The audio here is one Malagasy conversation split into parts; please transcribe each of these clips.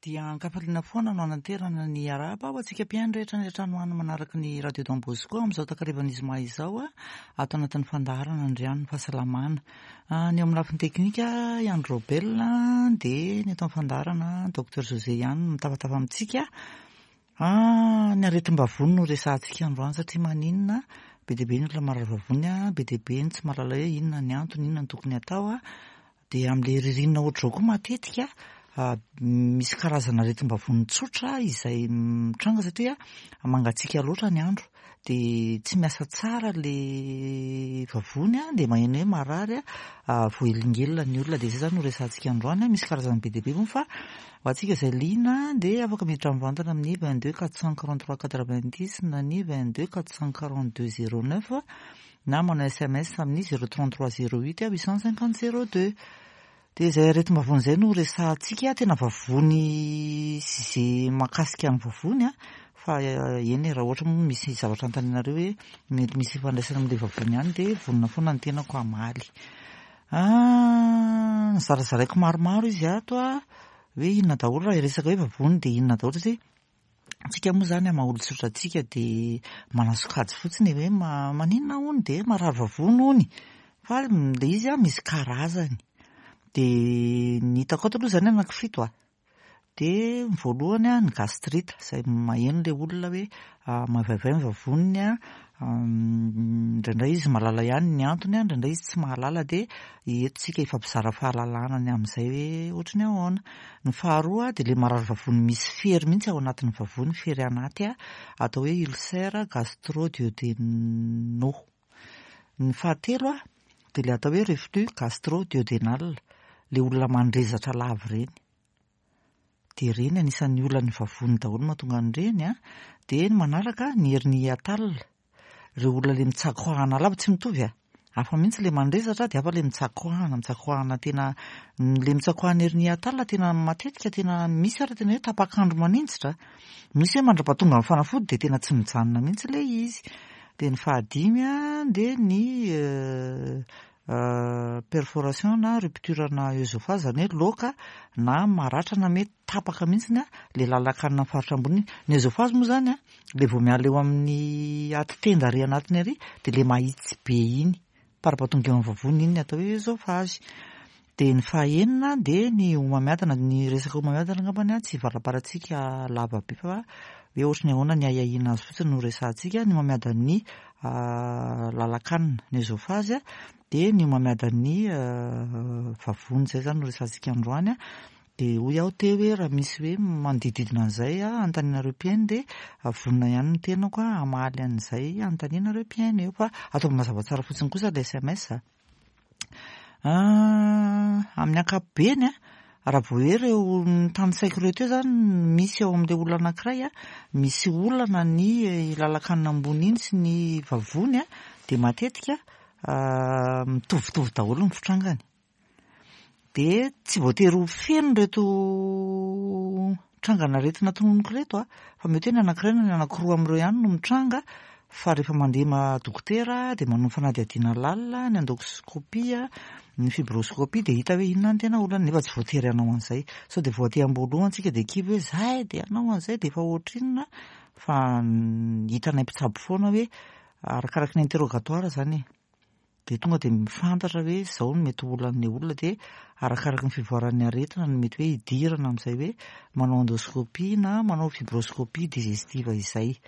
Dia an-kafaliana foana no ananterana ny arahaba ho antsika mpihaino rehetra any an-trano any manaraka ny Radio Don Bosco amin'izao takarivan'ny zoma izao ato anatin'ny fandaharana Andrian'ny fahasalamana. Ny eo amin'ny lafiny teknika i Andry Robel dia ny eto amin'ny fandaharana Docteur José ihany no mitafatafa amintsika. Ny aretim-bavony no resahantsika androany satria maninona? Be dia be ny olona marary vavony, be dia be ny tsy mahalala hoe inona ny antony, inona no tokony hatao. Dia amin'ilay ririnina ohatr'izao koa matetika misy karazana aretim-bavony tsotra izay mitranga satria mangatsiaka loatra ny andro dia tsy miasa tsara ilay vavony dia maheno hoe marary voahelingelina ny olona. Dia izay izany no resahantsika androany. Misy karazany be dia be moa fa ho antsika izay liana dia afaka miditra mivantana amin'ny 22 443 90 na ny 22 442 09 na manao sms amin'ny 033 08 850 02. Dia izay aretim-bavony izay no resahantsika, tena vavony sy izay mahakasika ny vavony an, fa eny e, raha ohatra moa misy zavatra anontanianareo hoe mety misy ifandraisany amin'ilay vavony ihany dia vonona foana ny tenako hamaly. Nozarazaraiko maromaro izy ato an, hoe inona daholo raha hiresaka hoe vavony dia inona daholo satria Antsika moa izany amin'ny maha olon-tsotra antsika dia manasokajy fotsiny e, hoe maninona hono dia marary vavony hono, fa ilay izy an misy karazany. Dia ny hitako ato aloha izany anankifito an, dia ny voalohany an ny gastrite, izay maheno ilay olona hoe mavaivay ny vavoniny an, indraindray izy mahalala ihany ny antony an, indraindray izy tsy mahalala dia eto isika hifampizara fahalalana ny amin'izay hoe ohatry ny ahoana. Ny faharoa dia ilay marary vavony misy fery mihitsy ao anatin'ny vavony, fery anaty, atao hoe ulcère gastro-duodénaux. Ny fahatelo dia ilay atao hoe reflux gastro-duodénal, ilay olona mandrezatra lava ireny. Dia ireny anisan'ny olan'ny vavony daholo mahatonga an'ireny. Dia ny manaraka ny hernie hiatale. Ireo olona le mitsakoahana lava tsy mitovy a! Hafa mihitsy le mandrezatra dia hafa le mitsakoahana, mitsakoahana tena le mitsakoahana ery Niatal tena matetika tena misy ary tena hoe tapak'andro maninjitra, misy hoe mandrapatonga ny fanafody dia tena tsy mijanona mihitsy le izy. Dia ny fahadimy a dia ny perforation na rupture na oesophage izany hoe loaka na maratra na mety tapaka mihitsy le lalan-kanina amin'ny faritra ambony iny. Ny oesophage moa izany a Le vao miala eo amin'ny aty tenda ary anatiny ary dia le mahitsy be iny, parabatonga eo amin'ny vavony iny ny atao hoe oesophage. Dia ny fahaenina dia ny homamiadana, ny resaka homamiadana angambany tsy hivarabarantsika lava be fa hoe ohatry ny ahoana ny ahiahiana azy fotsiny no resahantsika, ny homamiadan'ny lalan-kanina, ny oesophage, dia ny homamiadan'ny vavony, izay izany no resahantsika androany. Dia hoy aho teo hoe raha misy hoe manodidididina an'izay anontanianareo mpihaino dia vonona ihany ny tenako hamaly an'izay anontanianareo mpihaino eo fa ataovy mazava tsara fotsiny kosa ilay sms a. Amin'ny ankapobeny a, raha vao hoe ireo notanisaiko ireo teo izany misy ao amin'ilay olona anankiray a, misy olana ny lalan-kanina ambony iny sy ny vavony a, dia matetika mitovitovy daholo ny fitrangany. Dia tsy voatery ho feno ireto trangan'aretina tononiko ireto a, fa mety hoe ny anankiray na ny anankiroa amin'ireo ihany no mitranga, fa rehefa mandeha ma dokotera dia manao fanadihadiana lalina, ny endoscopie, ny fibroscopie dia hita hoe inona ny tena olana, nefa tsy voatery hanao an'izay. Sao dia vao aty am-boalohany tsika dia kivy hoe zay dia hanao an'izay dia efa ohatrinona, fa hitanay mpitsabo foana hoe arakaraky ny interrogatoire izany e. Dia tonga dia mifantatra hoe izao no mety ho olan'ilay olona dia arakaraky ny fivoaran'ny aretina no mety hoe hidirana amin'izay hoe manao endoscopie na manao fibroscopie digestive izay.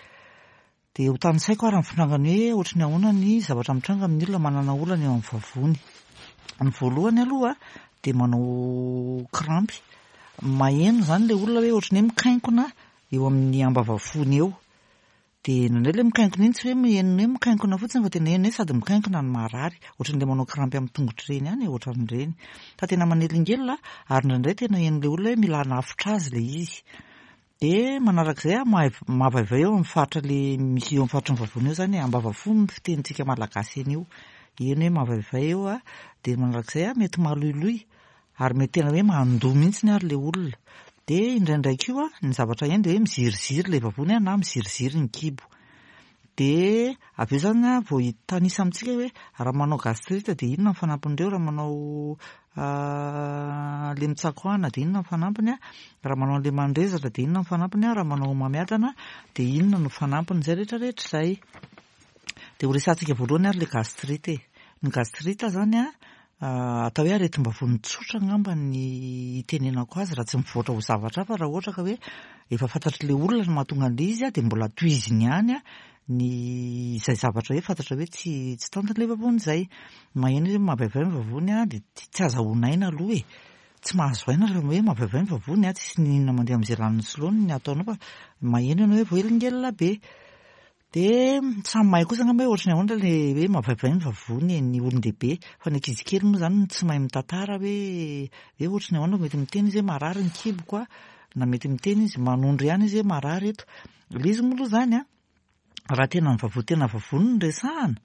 Dia ho tanisaiko ary ny fitrangany hoe ohatry ny ahoana ny zavatra mitranga amin'ny olona manana olana eo amin'ny vavony. Ny voalohany aloha dia manao krampy. Maheno izany ilay olona hoe ohatry ny hoe mikainkona eo amin'ny ambavafony eo. Dia indraindray ilay mikainkona iny tsy hoe heno hoe mikainkona fotsiny fa tena heno hoe sady mikainkona no marary. Ohatran'ilay manao krampy amin'ny tongotra ireny ihany e, ohatran'ireny. Fa tena manelingelina ary indraindray tena henon'ilay olona hoe mila hanafotra azy ilay izy. Dia manarak'izay an, mavaivay eo amin'ny faritra ilay misy eo amin'ny faritry ny vavony eo izany e, ambavafo ny fitenintsika malagasy an'io. Heno hoe mavaivay eo an, dia manarak'izay an, mety maloiloy Ary mety tena hoe mandoa mihitsy ary ilay olona. Dia indraindray koa ny zavatra heno dia hoe miziriziry ilay vavony na miziriziry ny kibo. Dia avy eo izany vao hitanisa amintsika hoe raha manao gastrite dia inona ny fanampin'ireo, raha manao an'ilay mitsakoahana dia inona ny fanampiny a, raha manao an'ilay mandrezatra dia inona ny fanampiny a, raha manao homamiadana dia inona no fanampiny, izay rehetra rehetra izay. Dia ho resahantsika voalohany ary ilay gastrite e. Ny gastrite izany a, atao hoe aretim-bavony tsotra angamba ny itenenako azy raha tsy mivoatra ho zavatra hafa raha ohatra ka hoe efa fantatr'ilay olona ny mahatonga an'ilay izy dia mbola tohiziny ihany ny izay zavatra hoe fantatra hoe tsy tsy tantiny ilay vavony izay. Maheno izy hoe mavaivay ny vavony dia tsy azahoana aina aloha e. Tsy mahazo aina rehefa hoe mavaivay ny vavony tsisy n'inona mandeha amin'izay laniny sy laoniny ny ataonao fa maheno ianao hoe voahelingelina be. Dia samy mahay kosa angamba hoe ohatran'ny ahoana ilay hoe mavaivay ny vavony e, ny olon-dehibe. Fa ny ankizy kely moa izany no tsy mahay mitantara hoe hoe ohatran'ny ahoana, mety miteny izy hoe marary ny kiboko a, na mety miteny izy, manondro ihany izy hoe marary eto. Ilay izy moa aloha izany an, raha tena ny vavony tena vavony no resahana,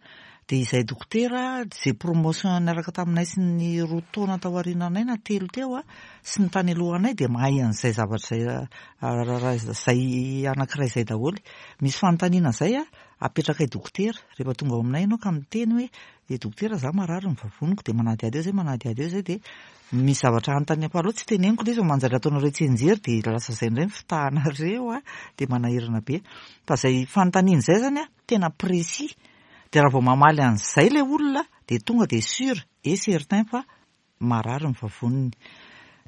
dia izay dokotera, izay promotion niaraka taminay sy ny roa taona tao aoriananay na telo teo an, sy ny tany alohanay dia mahay an'izay zavatra izay, izay anankiray izay daholo. Misy fanontaniana izay an, apetrakay dokotera, rehefa tonga ao aminay ianao ka miteny hoe eh dokotera za marary ny vavoniko dia manadihady eo izay manadihady eo izay dia misy zavatra anontaniako aleo tsy teneniko ilay izy fa manjary ataonareo tsianjery dia lasa izay indray ny fitahanareo an, dia manahirana be. Fa izay fanontaniana izay izany an, tena précis, dia raha vao mamaly an'izay ilay olona dia tonga dia sûr et certain fa marary ny vavoniny.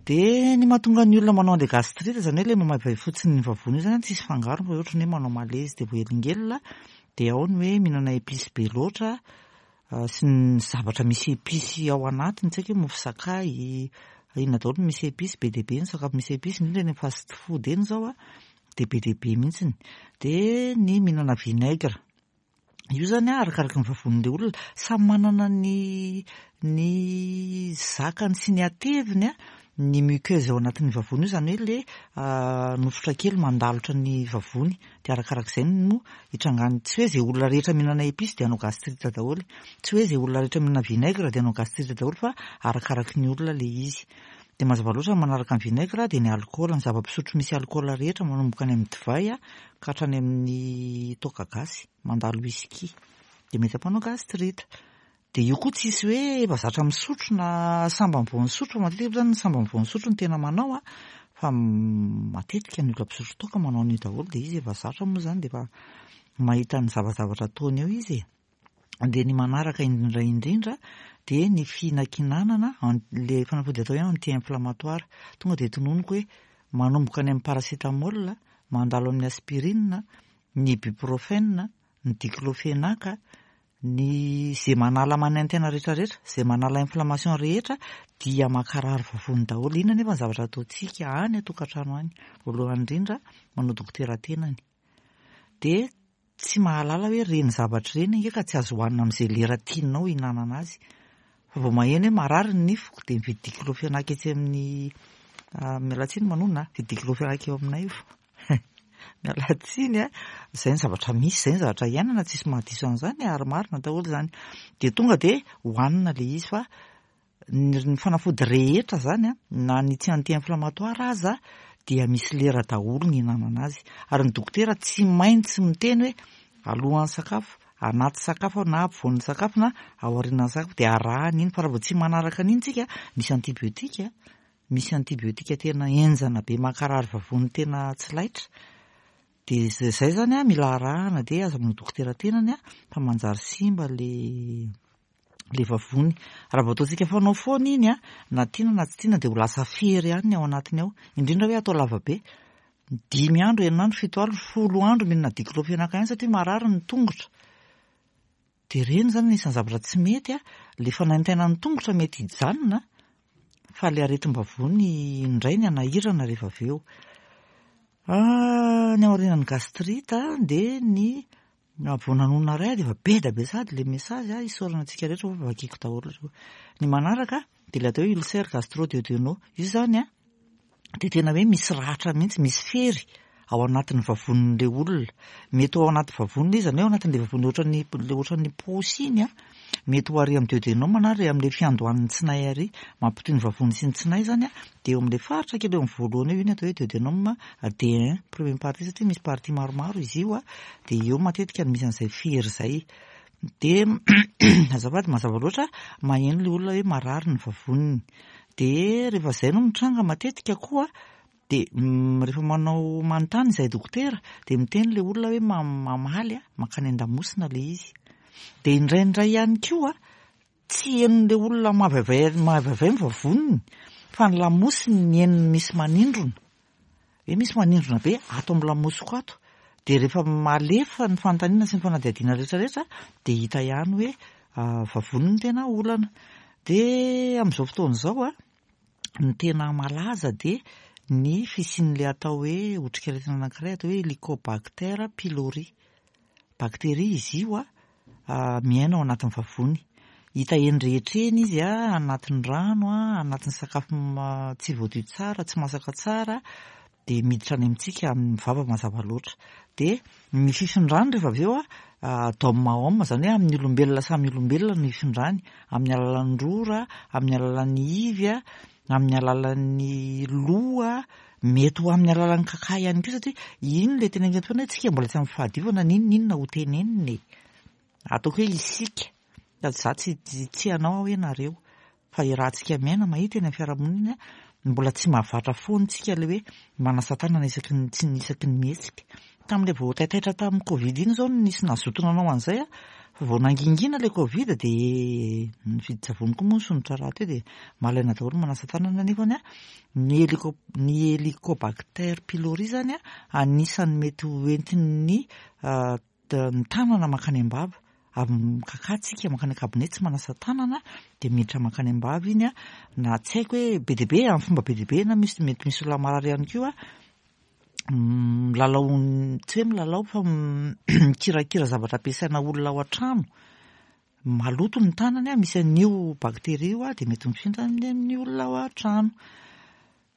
Dia ny mahatonga ny olona manao an'ilay gastrite, izany hoe ilay mamaivay fotsiny ny vavony io izany an, tsisy fangarony fa ohatran'ny hoe manao malaise dia voahelingelina, dia ao ny hoe mihinana épices be loatra sy ny zavatra misy épices ao anatiny, tsy haiko hoe mofo sakay, inona daholo no misy épices, be dia be ny sakafo misy épices, indrindra eny amin'ny fast food eny izao an, dia be dia be mihitsy. Dia ny mihinana vinaigre. Io zany an, arakaraky ny vavonin'ilay olona. Samy manana ny ny zakany sy ny hateviny an, ny muqueuse ao anatin'ny vavony io, izany hoe ilay nofotra kely mandalotra ny vavony. Dia arakarak'izay no hitrangany. Tsy hoe izay olona rehetra mihinana épices dia hanao gastrite daholo. Tsy hoe izay olona rehetra mihinana vinaigre dia hanao gastrite daholo fa arakaraky ny olona ilay izy. Dia mazava loatra ny manaraka ny vinaigre dia ny alikaola, ny zava-pisotro misy alikaola rehetra manomboka any amin'ny divay ka hatrany amin'ny toaka gasy, mandalo whisky. Dia mety hampanao gastrite. Dia io koa tsisy hoe efa zatra misotro na sambany vao nisotro fa matetika moa zany ny sambany vao nisotro no tena manao an, fa matetika ny olona mpisotro toaka manao an'io daholo dia izy efa zatra moa zany dia efa mahita ny zavazavatra ataony eo izy e. Dia ny manaraka indrindra indrindra dia ny fihinankinanana, ilay fanafody atao hoe anti-inflammatoire. Tonga dia tononiko hoe manomboka any amin'ny paracétamol, mandalo amin'ny aspirine, ny ibuprofène, ny diclofenac, ny izay manala manaintaina rehetra rehetra, izay manala inflammation rehetra dia mankarary vavony daholo. Inona anefa ny zavatra ataontsika any an-tokantrano any? Voalohany indrindra, manao dokotera tenany. Dia tsy mahalala hoe ireny zavatra ireny ange ka tsy azo hohanina amin'izay lera tianao hihinanana azy. Fa vao maheno hoe marary ny nifiko dia mividy diclofenac etsy amin'ny miala tsiny manonona a, mividy diclofenac eo aminay io. Miala tsiny a, izay ny zavatra misy, izay ny zavatra iainana, tsisy mahadiso an'izany ary marina daholo izany. Dia tonga dia hohanina ilay izy fa Ny fanafody rehetra zany an, na ny tsy anti-inflammatoire aza dia misy lera daholo ny ihinanana azy. Ary ny dokotera tsy maintsy miteny hoe alohan'ny sakafo, anaty sakafo na ampovoan'ny sakafo na aorianan'ny sakafo dia arahana iny. Fa raha vao tsy manaraka an'iny tsika, misy antibiotika, misy antibiotika tena henjana be mankarary vavony tena tsy laitra. Dia izay zany an, mila arahana dia aza manao dokotera tenany an, fa manjary simba le le vavony. Raha vao ataontsika fanao foana iny an, na tiana na tsy tiana dia ho lasa fery ihany ny ao anatiny ao. Indrindra hoe atao lava be. Dimy andro, enina andro, fito andro, folo andro mihinana diclofenac ihany satria marary ny tongotra. Dia ireny izany anisan'ny zavatra tsy mety an, le fanaintainan'ny tongotra mety hijanona fa le aretim-bavony indray ny hanahirana rehefa avy eo. Ny aorianan'ny gastrite dia ny Na vao nanonona iray dia efa be dia be sahady ilay message a, isaorana antsika rehetra fa vakiako daholo ireo. Ny manaraka dia ilay atao hoe ulcère gastro-duodénaux. Io izany a, dia tena hoe misy ratra mihitsy, misy fery ao anatin'ny vavonin'ilay olona. Mety ho ao anaty vavony ilay izy, izany hoe ao anatin'ilay vavony ohatran'ny ilay ohatran'ny paosy iny a, mety ho ary amin'ny duodénum na ary amin'ilay fiandohan'ny tsinay ary, mampitohy ny vavony sy ny tsinay izany a, dia eo amin'ilay faritra kely eo amin'ny voalohany eo, io ny atao hoe duodénum D1, première partie satria misy partie maromaro izy io a, dia eo matetika no misy an'izay fery izay. Dia azafady mazava loatra, maheno ilay olona hoe marary ny vavoniny. Dia rehefa izay no mitranga matetika koa dia rehefa manao manontany izahay dokotera dia miteny ilay olona hoe mamaly mankany an-damosina ilay izy. Dia indraindray ihany koa tsy henon'ilay olona mahavaivay mahavaivay ny vavoniny fa ny lamosiny ny henony misy manindrona. Hoe misy manindrona be ato amin'ny lamosiko ato. Dia rehefa malefa ny fanontaniana sy ny fanadihadiana rehetra rehetra dia hita ihany hoe vavony no tena olana. Dia amin'izao fotoana izao an, ny tena malaza dia ny fisian'ilay atao hoe otrikaretina anankiray atao hoe Helicobacter pylori. Bakteria izy io an, miaina ao anatin'ny vavony. Hita eny rehetra eny izy an, anatin'ny rano an, anatin'ny sakafo tsy voadio tsara, tsy masaka tsara, dia miditra any amintsika amin'ny vava mazava loatra. Dia ny fifindrany rehefa avy eo an, d'homme à homme, izany hoe amin'ny olombelona samy olombelona no ifindrany, amin'ny alalan'ny rora, amin'ny alalan'ny ivy an, amin'ny alalan'ny loha, mety ho amin'ny alalan'ny kaka ihany koa satria iny ilay teneniko eto foana hoe tsika mbola tsy amin'ny fahadiovana n'inon'inona ho tenenina e. Ataoko hoe isika, sady za tsy tsy hanao aho hoe nareo, fa iarahantsika miaina mahita eny amin'ny fiarahamonina mbola tsy mahavatra foana tsika ilay hoe manasa tanana isaky ny tsy isaky ny mihetsika. Tamin'ilay vao taitaitra tamin'ny covid iny izao no nisy nazoto nanao an'izay aho, fa vao nangingina ilay covid dia ny vidin-tsavony koa moa nisondrotra rahateo dia malaina daholo manasa tanana nefany an, ny helico ny helicobacter pylori izany an anisan'ny mety ho entin'ny ny tanana mankany am-bava, avy mikakà tsika mankany an-kabone tsy manasa tanana dia miditra mankany am-bava iny an, na tsy haiko hoe be dia be amin'ny fomba be dia be na misy mety misy olona marary ihany koa milalao tsy hoe milalao fa mikirakira zavatra ampiasaina olona ao an-trano, maloto ny tanany an, misy an'io bakteria io an, dia mety mifindra amin'ny olona ao an-trano.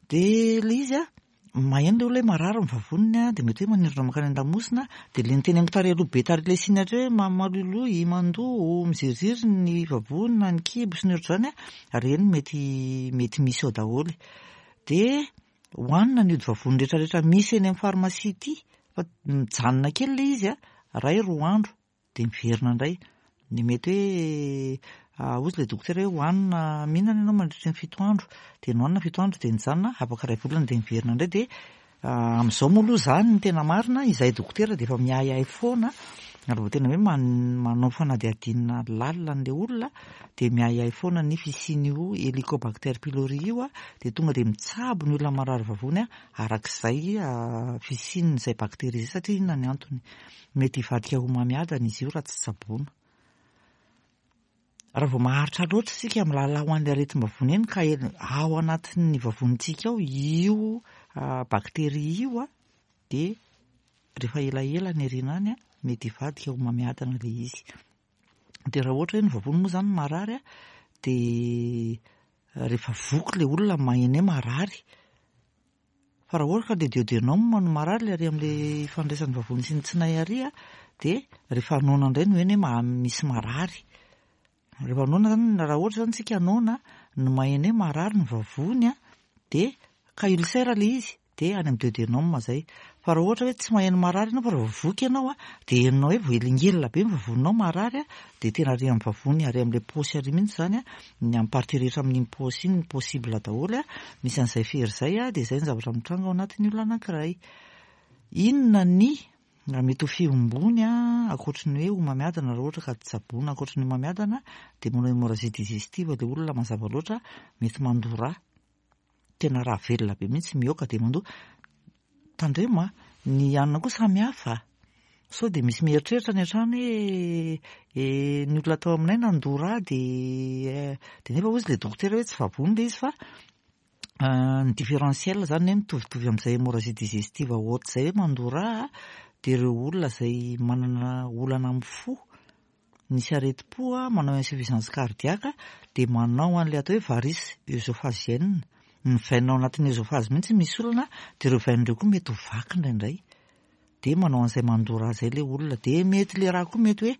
Dia ilay izy an, maheno ilay olona hoe marary ny vavoniny an, dia mety hoe manindrona mankany an-damosina, dia ilay niteneniko tary aloha be tary ilay signe hatreo hoe maloiloy, mandoa, miziriziry ny vavony na ny kibo sy ny ohatr'izany an, ireny mety mety misy ao daholo. Dia hohanina ny ody vavony rehetra rehetra misy eny amin'ny pharmacie ity fa mijanona kely ilay izy an, iray roa andro dia miverina indray. Dia mety hoe hozy ilay dokotera hoe hohanina mihinana ianao mandritry ny fito andro, dia nohanina fito andro dia nijanona, afaka iray volana dia miverina indray dia amin'izao moa aloha izany ny tena marina, izahay dokotera dia efa miahiahy foana ary vao tena hoe manao fanadihadiana lalina an'ilay olona dia miahiahy foana ny fisian'io Helicobacter pylori io dia tonga dia mitsabo ny olona marary vavony arak'izay fisian'izay bakteria izay satria inona ny antony. Mety hivadika ho homamiadana izy io raha tsy tsaboina. Raha vao maharitra loatra isika milalao an'ilay aretim-bavony iny ka ao anatin'ny vavonintsika ao io bakteria io dia rehefa elaela any aoriana any mety hivadika ho homamiadana ilay izy. Dia raha ohatra hoe ny vavony moa izany marary dia rehefa voky ilay olona maheno hoe marary. Fa raha ohatra ka ilay duodenum no marary ilay ary amin'ilay ifandraisan'ny vavony sy ny tsinay ary dia rehefa noana indray no heno hoe misy marary. Rehefa noana izany, raha ohatra izany tsika noana no maheno hoe marary ny vavony dia ka ulcère ilay izy dia any amin'ny duodenum izay. Fa raha ohatra hoe tsy maheno marary ianao fa raha vao voky ianao dia henonao hoe voahelingelina be ny vavoninao marary dia tena ary amin'ny vavony ary amin'ilay paosy ary mihitsy izany ny amin'ny partie rehetra amin'iny paosy iny possible daholo misy an'izay fery izay dia izay ny zavatra mitranga ao anatin'ny olona anankiray. Inona ny raha mety ho fihombony ankoatry ny hoe homamiadana raha ohatra ka tsaboina ankoatry ny homamiadana dia manao hémorragie digestive ilay olona mazava loatra mety mandoa rà. Tena rà velona be mihitsy mihoaka dia mandoa. Tandremo a, ny hanina koa samy hafa. Sao dia misy mieritreritra any an-trano hoe eh, ny olona tao aminay nandoa rà dia dia nefa hozy ilay dokotera hoe tsy vavony ilay izy fa ny différentiel izany hoe mitovitovy amin'izay hémorragie digestive haute izay hoe mandoa rà dia ireo olona izay manana olana amin'ny fo, misy aretim-po, manao insuffisance cardiaque dia manao an'ilay atao hoe varice œsophagienne. Ny veine ao anatin'ny œsophage mihitsy misy olana dia ireo veine ireo koa mety ho vaky indraindray. Dia manao an'izay mandoa rà izay ilay olona. Dia mety ilay rà koa mety hoe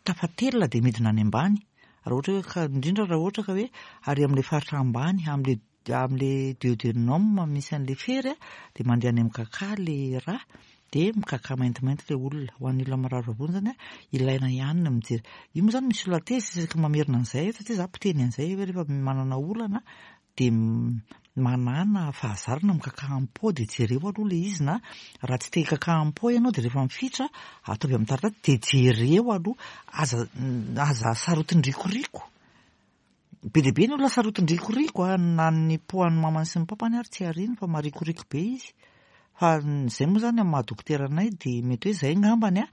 tafatelina dia midina any ambany. Raha ohatra hoe ka indrindra raha ohatra ka hoe ary amin'ilay faritra ambany amin'ilay amin'ilay duodenum misy an'ilay fery dia mandeha any amin'ny kaka ilay rà dia mikaka maintimainty ilay olona. Ho an'ny olona marary vavony izany ilaina ihany ny mijery. Io moa izany misy olona tezitra isaky ny mamerina an'izay satria za mpiteny an'izay hoe rehefa manana olana. Dia manàna fahazarana mikakà am-po dia jereo aloha ilay izy na raha tsy te hikakà am-po ianao dia rehefa mifitra ataovy amin'ny taratasy dia jereo aloha. Aza aza sarotin-drikoriko. Be dia be ny olona sarotin-drikoriko a, na ny po an'ny mamany sy ny papany ary tsy ariany fa marikoriko be izy. Fa izay moa izany amin'ny maha dokotera anay dia mety hoe izay angambany a,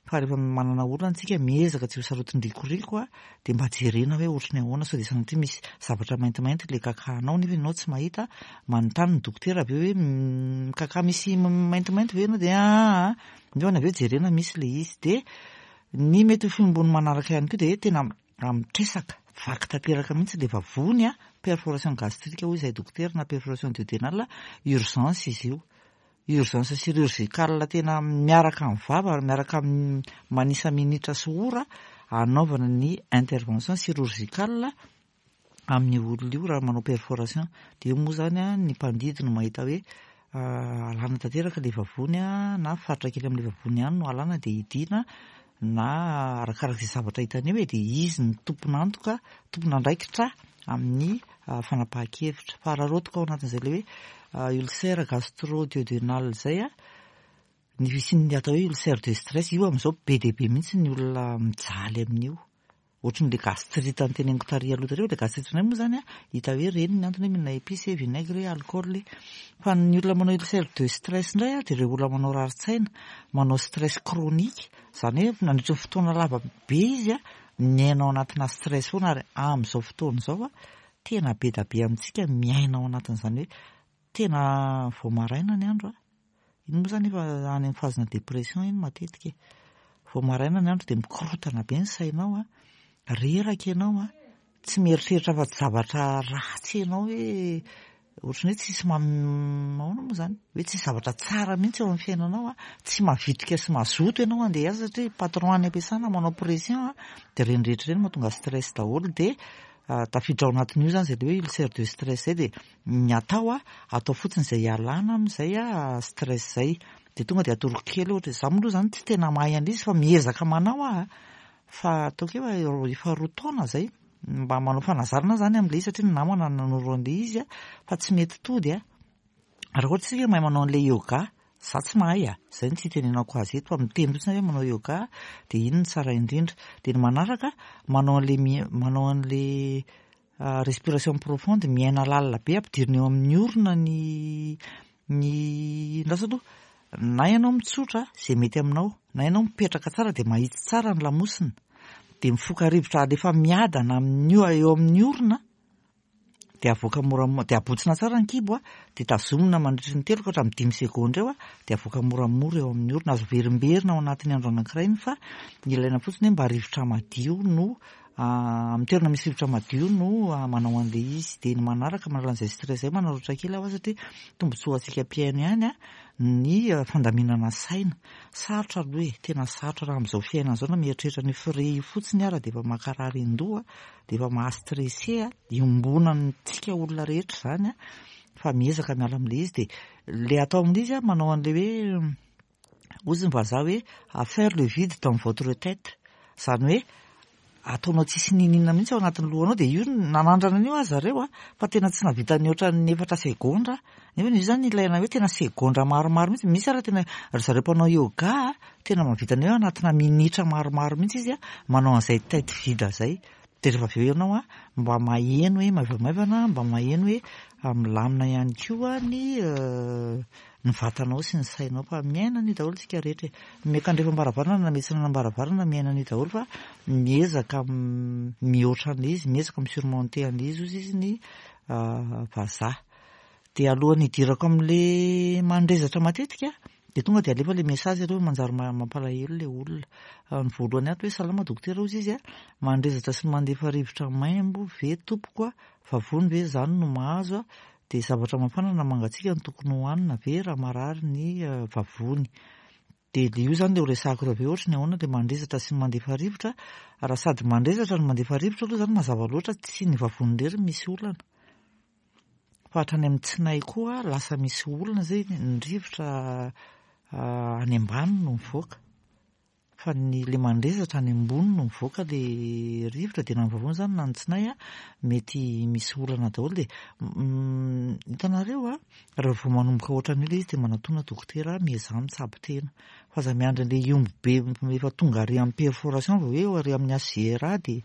fa rehefa manana olana isika miezaka tsy ho sarotin-drikoriko a, dia mba jerena hoe ohatry ny ahoana sao dia sanatria misy zavatra maintimainty ilay kakahanao nefa ianao tsy mahita, manontany ny dokotera avy eo hoe mikakà misy maintimainty ve ianao dia aa, nefa avy eo jerena misy ilay izy. Dia ny mety ho fihombon'ny manaraka ihany koa dia hoe tena Raha mitresaka, vaky tanteraka mihitsy ilay vavony a, perforation gastrique hoy izahay dokotera na perforation duodénale, urgence izy io. Urgence chirurgicale tena miaraka amin'ny vava ary miaraka amin'ny manisa minitra sy ora hanaovana ny intervention chirurgicale amin'io olona io raha manao perforation. Dia io moa izany ny mpandidy no mahita hoe alana tanteraka ilay vavony na faritra kely amin'ilay vavony ihany no alana dia hidiana na arakaraka izay zavatra hitany eo e, dia izy no tompon'antoka, tompon'andraikitra amin'ny fanapahan-kevitra. Fa raha rotoka ao anatin'izay ilay hoe ulcère gastro-duodénal izay, ny fisian'ny atao hoe ulcère de stress, io amin'izao be dia be mihitsy ny olona mijaly amin'io. Ohatran'ilay gastrite noteneniko tary aloha tary, ilay gastrite indray moa izany an, hita hoe ireny ny antony hoe mihinana épices, vinaigre, alcool. Fa ny olona manao ulcère de stress indray an, dia ireo olona manao rarin-tsaina, manao stress chronique, izany hoe nandritra ny fotoana lava be izy an, miaina ao anatina stress foana ary amin'izao fotoana izao an, tena be dia be amintsika miaina ao anatin'izany hoe tena vao maraina ny andro an, Iny moa izany efa any amin'ny phase-na dépression iny matetika e. Vao maraina ny andro dia mikorontana be ny sainao an, reraka ianao an, tsy mieritreritra afa-tsy zavatra ratsy ianao hoe ohatran'ny hoe tsisy ahoana moa izany, hoe tsisy zavatra tsara mihitsy eo amin'ny fiainanao an, tsy mavitrika sy mazoto ianao handeha hiasa satria patron any am-piasana manao pression an, dia ireny rehetra ireny mahatonga stress daholo dia tafiditra ao anatin'io izany izay ilay hoe ulcère de stress izay dia Ny atao a, atao fotsiny izay hialana amin'izay stress izay. Dia tonga dia atoroko kely ohatra, izaho moa aloha izany tsy tena mahay an'ilay izy fa miezaka manao aho a. Fa ataoko hoe efa roa taona izay, mba manao fanazarana aho izany amin'ilay izy satria ny namana no nanoro an'ilay izy a, fa tsy mety tody a. Raha ohatra isika mahay manao an'ilay yoga, izaho tsy mahay a, izay no tsy itenenako azy eto fa miteny fotsiny aho hoe manao yoga dia iny no tsara indrindra. Dia ny manaraka, manao an'ilay manao an'ilay Respiration profonde, miaina lalina be, ampidirina eo amin'ny orona ny ny andraso aloha, na ianao mitsotra izay mety aminao, na ianao mipetraka tsara dia mahitsy tsara ny lamosina, dia mifoka rivotra alefa miadana amin'io eo amin'ny orona, dia avoaka moramora, dia abotsina tsara ny kibo a, dia tazomina mandritry ny telo ka hatramin'ny dimy segondra eo a, dia avoaka moramora eo amin'ny orona, azo averimberina ao anatin'ny andro anankiray iny fa ilaina fotsiny hoe mba rivotra madio no Amin'ny toerana misy rivotra madio no manao an'ilay izy. Dia ny manaraka manala an'izay stress izay manararaotra kely aho satria tombontsoa ho antsika mpihaino ihany ny fandaminana saina. Sarotra aloha e, tena sarotra raha amin'izao fiainana izao na mieritreritra an'io frais io fotsiny ara dia efa mankarary an-doha, dia efa maha-stressé, iombonantsika olona rehetra izany fa miezaka miala amin'ilay izy. Dia ilay atao amin'ilay izy manao an'ilay hoe Hozy ny vazaha hoe à faire le vide dans votre tête, izany hoe ataonao tsisy n'inon'inona mihitsy ao anatin'ny lohanao dia io nanandrana an'io aza zareo a, fa tena tsy nahavita nihoatra ny efatra segondra, nefa io izany ilaina hoe tena segondra maromaro mihitsy, misy ary tena ry zareo mpanao yoga a, tena mahavita an'io anatina minitra maromaro mihitsy izy a, manao an'izay tête vide izay, dia rehefa avy eo ianao a mba maheno hoe maivamaivana, mba maheno hoe milamina ihany koa ny ny vatanao sy ny sainao fa miaina an'io daholo isika rehetra e. Miakandrefam-baravarana na miatsinanam-baravarana miaina an'io daholo fa miezaka mihoatra an'ilay izy, miezaka mi-surmonter an'ilay izy ozy izy ny vazaha. Dia alohan'ny hidirako amin'ilay mandrezatra matetika dia tonga dia alefa ilay message aloha manjary mampalahelo ilay olona. Ny voalohany ato hoe salama dokotera ozy izy a, mandrezatra sy mandefa rivotra maimbo ve tompoko a, vavony ve izany no mahazo a, Dia zavatra mafana na mangatsiaka no tokony hohanina ve raha marary ny vavony? Dia le io zany le ho resahako eo avy eo ohatry ny ahoana le mandrezatra sy ny mandefa rivotra, raha sady mandrezatra no mandefa rivotra aloha zany mazava loatra tsy ny vavony irery no misy olana fa hatrany amin'ny tsinay koa lasa misy olana zay ny rivotra any ambany no mivoaka. fa ny le mandrezatra any ambony no mivoaka le rivotra dia na ny vavony izany na ny tsinay a, mety misy olana daholo dia hitanareo a, raha vao manomboka ohatran'io ilay izy dia manatona dokotera miezaha mitsabo tena fa aza miandry an'ilay hiombo be efa tonga ary amin'ny perforation vao hoe ary amin'ny HJRA dia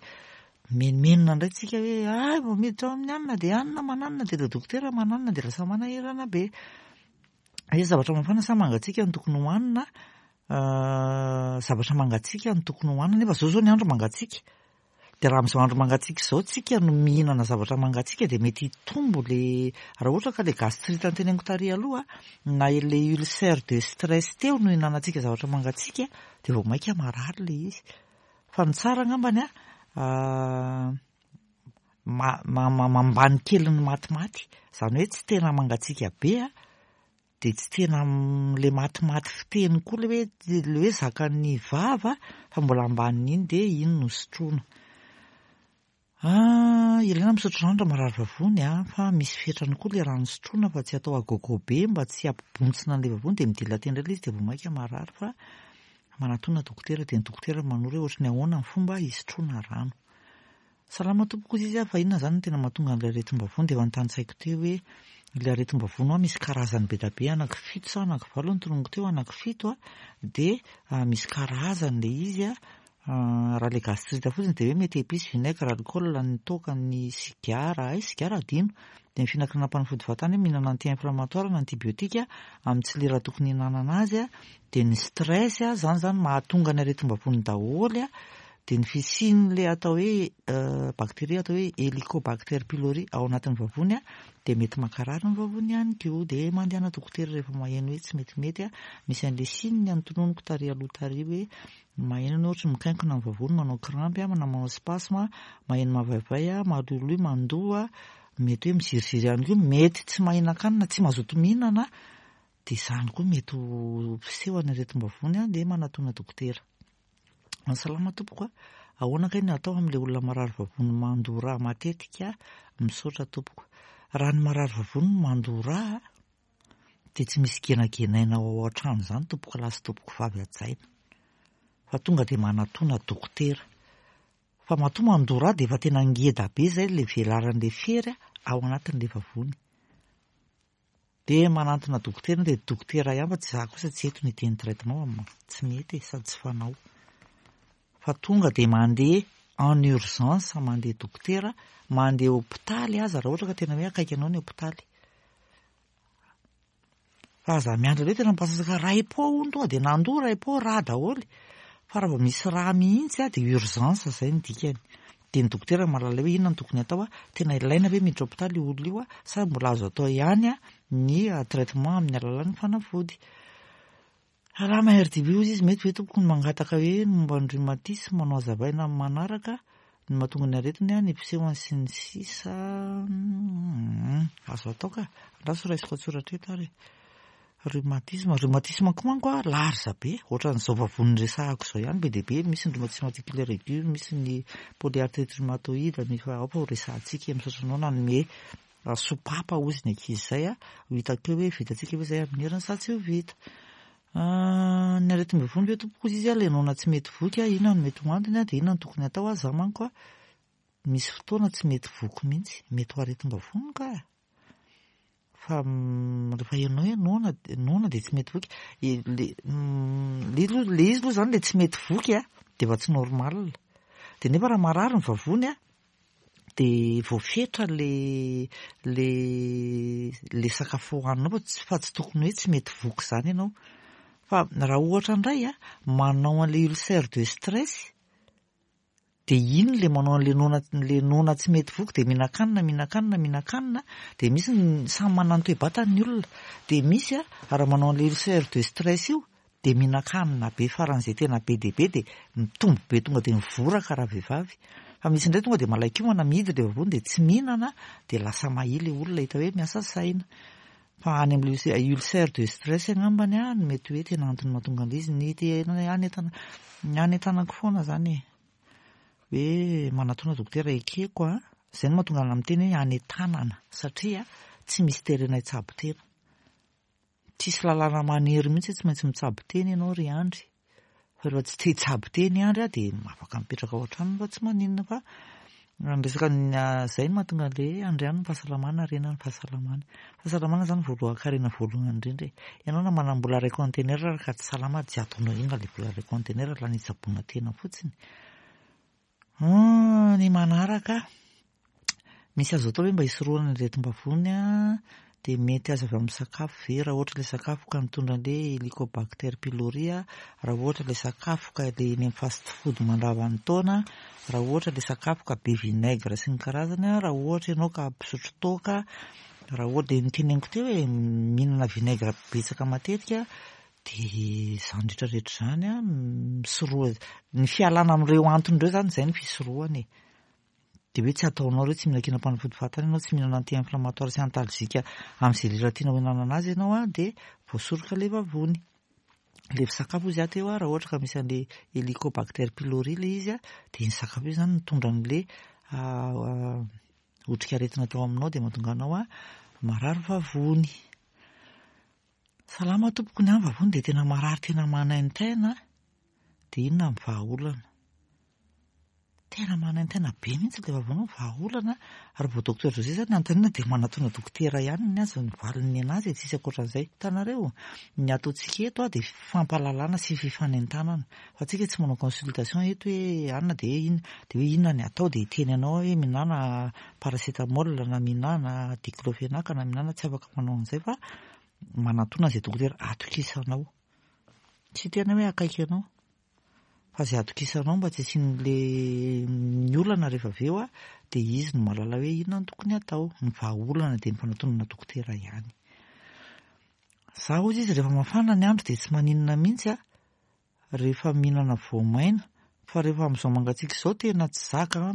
menomenona indray tsika hoe ay vao miditra ao amin'ny anona dia anona mananona dia ilay dokotera mananona dia lasa manahirana be. Hoe zavatra mafana sa mangatsiaka no tokony hohanina? Zavatra mangatsiaka no tokony hohanina nefa zao zao ny andro mangatsiaka. Dia raha amin'izao andro mangatsiaka izao tsika no mihinana zavatra mangatsiaka dia mety hitombo le, raha ohatra ka le gastrite noteneniko tary aloha na le ulcère de stress teo no ihinanantsika zavatra mangatsiaka dia vao mainka marary le izy. Fa ny tsara angambany an, ma-ma-ma-mambany kely ny matimaty, izany hoe tsy tena mangatsiaka be an, dia tsy tena le matimaty fiteny koa le hoe le hoe zakan'ny vava fa mbola ambanin'iny dia iny no sotroina. Ah, ilaina misotro rano raha marary vavony an, fa misy fetrany koa le rano sotroina fa tsy atao à gogo be mba tsy hampibontsina an'ilay vavony dia mi-dilater indray ilay izy dia vao mainka marary fa manatona dokotera dia ny dokotera manoro hoe ohatry ny ahoana ny fomba hisotroana rano. Salama tompoko hozy izy a, fa inona zany no tena mahatonga an'ilay aretim-bavony dia efa notanisaiko teo hoe ilay aretim-bavony hoa misy karazany be da be anaky fito sa anaky valo no tononiko teo, anaky fito a, dia misy karazany ilay izy a, raha ilay gastrite fotsiny dia hoe mety épice, vinaigre, alcool, ny toaka, ny sigara, hay sigara adino, dia ny fihinankinam-panafody fahatany hoe mihinana anti-inflammatoire na antibiotique amin'ny tsy lera tokony hihinanana azy a, dia ny stress a, izany zany mahatonga ny aretim-bavony daholo a, dia ny fisian'ilay atao hoe bactérie atao hoe Helicobacter pylori ao anatin'ny vavony dia mety mankarary ny vavony ihany koa. Dia mandehana dokotera rehefa maheno hoe tsy metimety, misy an'ilay signe notononiko tary aloha tary hoe maheno ianao ohatry ny mikainkona ny vavony, manao crampe na manao spasme, maheno mavaivay, maloloy, mandoa, mety hoe miziriziry ihany koa, mety tsy mahinan-kanina, tsy mazoto mihinana, dia izany koa mety ho fisehon'ny aretim-bavony dia manatona dokotera. Salama tompoko a! Ahoana kay ny atao amin'ilay olona marary vavony mandoa rà matetika? Misaotra tompoko. Raha ny marary vavony no mandoa rà dia tsy misy genagenaina ao an-trano izany tompoko lahy sy tompoko vavy hajaina fa tonga dia manatona dokotera. Fa matoa mandoa rà dia efa tena ngeda be izay ilay velaran'ilay fery ao anatin'ilay vavony. Dia manantona dokotera dia dokotera ihany fa tsy za kosa tsy eto ny hiteny traitement fa tsy mety e, sady tsy fanao. Fa tonga dia mandeha en urgence mandeha dokotera, mandeha hopitaly aza raha ohatra ka tena hoe akaiky anao ny hopitaly. Fa aza miandry hoe tena mipasasaka ray po hono tonga dia nandoa ray po rà daholo. Fa raha vao misy rà mihitsy dia urgence izay ny dikany. Dia ny dokotera mahalala hoe inona no tokony atao a, tena ilaina ve miditra hopitaly io olona io a, sa mbola azo atao ihany ny traitement amin'ny alalan'ny fanafody. Salama RDB hozy izy, mety ve tompoko ny mangataka hoe ny momba ny rhumatisme no hazavaina amin'ny manaraka, ny mahatonga ny aretina, ny fisehony sy ny sisa Azo atao ka, andraso raisiko an-tsoratra eto ary e. Rhumatisme, rhumatisme koa manko a large be, ohatran'izao vavony resahako izao ihany be dia be, misy ny rhumatisme articulaire aigu, misy ny polyarthrite rhumatoïde, ny fa aoka ho resahantsika e, misaotra anao nanome sopapa hozy ny ankizy izay a, ho hitako eo hoe vitantsika ve izay amin'ny heriny sa tsy ho vita. Ny aretim-bavony ve tompoko hozy izy a, le noana tsy mety voky a, inona no mety ho antony a, dia inona no tokony atao a, za manko a misy fotoana tsy mety voky mihitsy, mety ho aretim-bavony ka. Fa rehefa ianao hoe noana noana dia tsy mety voky. Le le aloha le izy aloha zany le tsy mety voky a, dia efa tsy normal. Dia nefa raha marary ny vavony a, dia voafetra le le le sakafo hohaninao fa tsy fa tsy tokony hoe tsy mety voky izany ianao. Fa raha ohatra indray a, manao an'ilay ulcère de stress, Dia iny le manao an'le noana le noana tsy mety voky dia mihinan-kanina mihinan-kanina mihinan-kanina dia misy ny samy manana ny toe-batany ny olona dia misy a raha manao an'le ulcère de stress io dia mihinan-kanina be faran'izay tena be dia be dia mitombo be tonga dia mivoraka raha vehivavy fa misy indray tonga dia malain-komana mihidy le vavony dia tsy mihinana dia lasa mahia le olona hita hoe miasa saina fa any amin'le ulcère de stress angambany a no mety hoe tena antony mahatonga an'ilay izy ny tena any an-tana ny any an-tanako foana zany e hoe manatona dokotera ekeko a zay no mahatonga ana miteny hoe any an-tanana satria tsy misy terena hitsabo tena tsisy lalàna manery mihitsy hoe tsy maintsy mitsabo tena ianao ry Andry. Fa rehefa tsy te hitsabo tena i Andry a dia afaka mipetraka ao an-tranony fa tsy maninona fa ny resaka izay no mahatonga an'ilay hoe andriano ny fahasalamana harena ny fahasalamana. Fahasalamana izany voalohan-karena voalohany indrindra e. Ianao na manam-bola iray kaontenera ary ka tsy salama tsy ataonao inona ilay vola iray kaontenera lany hitsaboana tena fotsiny. Ny manaraka, misy azo atao ve mba hisorohana ny aretim-bavony dia mety azo avy amin'ny sakafo ve raha ohatra ilay sakafo ka mitondra an'ilay Helicobacter pylori, raha ohatra ilay sakafo ka ilay eny amin'ny fast food mandrava ny taona, raha ohatra ilay sakafo ka be vinaigre sy ny karazany, raha ohatra ianao ka mpisotro toaka, raha ohatra dia noteneniko teo hoe mihinana vinaigre betsaka matetika dia izany rehetra rehetra izany an, misoroha, ny fialana amin'ireo antony ireo izany izay no fisorohana e. Dia hoe tsy ataonao ireo, tsy mihinan-kinam-panafody fahatany ianao, tsy mihinana anti-inflammatoire sy antalgique amin'izay lera tianao hihinanana azy ianao an, dia voasoroka ilay vavony. Ilay sakafo hozy aho teo an, raha ohatra ka misy an'ilay Helicobacter pylori ilay izy an, dia iny sakafo iny izany mitondra an'ilay otrikaretina tao aminao dia mahatonga anao an, marary vavony. Salama tompoko, ny ahy ny vavony dia tena marary tena manaintaina dia inona ny vahaolana? Tena manaintaina be mihitsy ilay vavony, ny vahaolana ary vao docteur José zany anontaniana dia manatona dokotera ihany ny azy ny valiny ny anazy e, tsisy ankoatran'izay. Hitanareo, ny ataontsika eto dia fampahalalana sy fifanentanana fa tsika tsy manao consultation eto hoe anona dia hoe inona, dia hoe inona ny atao dia hiteny anao aho hoe mihinàna paracétamol na mihinàna diclofenac na mihinàna, tsy afaka manao an'izay fa manatona izay dokotera atokisanao. Tsy tena hoe akaiky anao fa izay atokisanao mba tsy hisian'le ny olana rehefa avy eo dia izy no mahalala hoe inona no tokony hatao. Ny vahaolana dia ny fanatonana dokotera ihany. Za hozy izy rehefa mafana ny andro dia tsy maninona mihitsy a, rehefa mihinana voamaina fa rehefa amin'izao mangatsiaka izao tena tsy zaka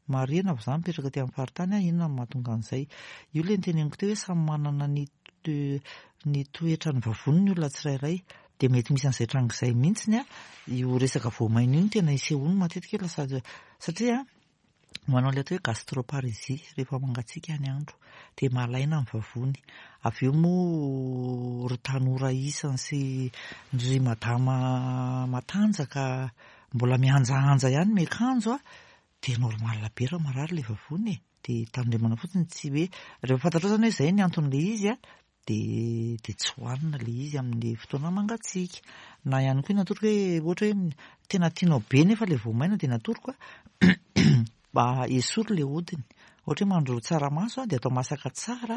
Marihina fa za mipetraka aty amin'ny faritany aho, inona no mahatonga an'izay? Io ilay noteneniko teo hoe samy manana ny ny toetran'ny vavony ny olona tsirairay. Dia mety misy an'izay tranga izay mihitsiny an, io resaka voamaina io no tena isehoany matetika hoe lasa satria manao ilay atao hoe gastroparésie rehefa mangatsiaka ny andro dia malaina ny vavony. Avy eo moa ry tanora isany sy ry madama matanjaka mbola mihanjahanja ihany miakanjo an, dia normal be raha marary ilay vavony e, dia tandremana fotsiny tsy hoe, rehefa fantatrao izany hoe izay ny anton'ilay izy an, dia dia tsy hohanina ilay izy amin'ny fotoana mangatsiaka. Na ihany koa ny atoroko hoe ohatra hoe tena tianao be nefa ilay voamaina dia ny atoroko an, mba esory ilay hodiny. Ohatra hoe mahandro tsaramaso an, dia atao masaka tsara,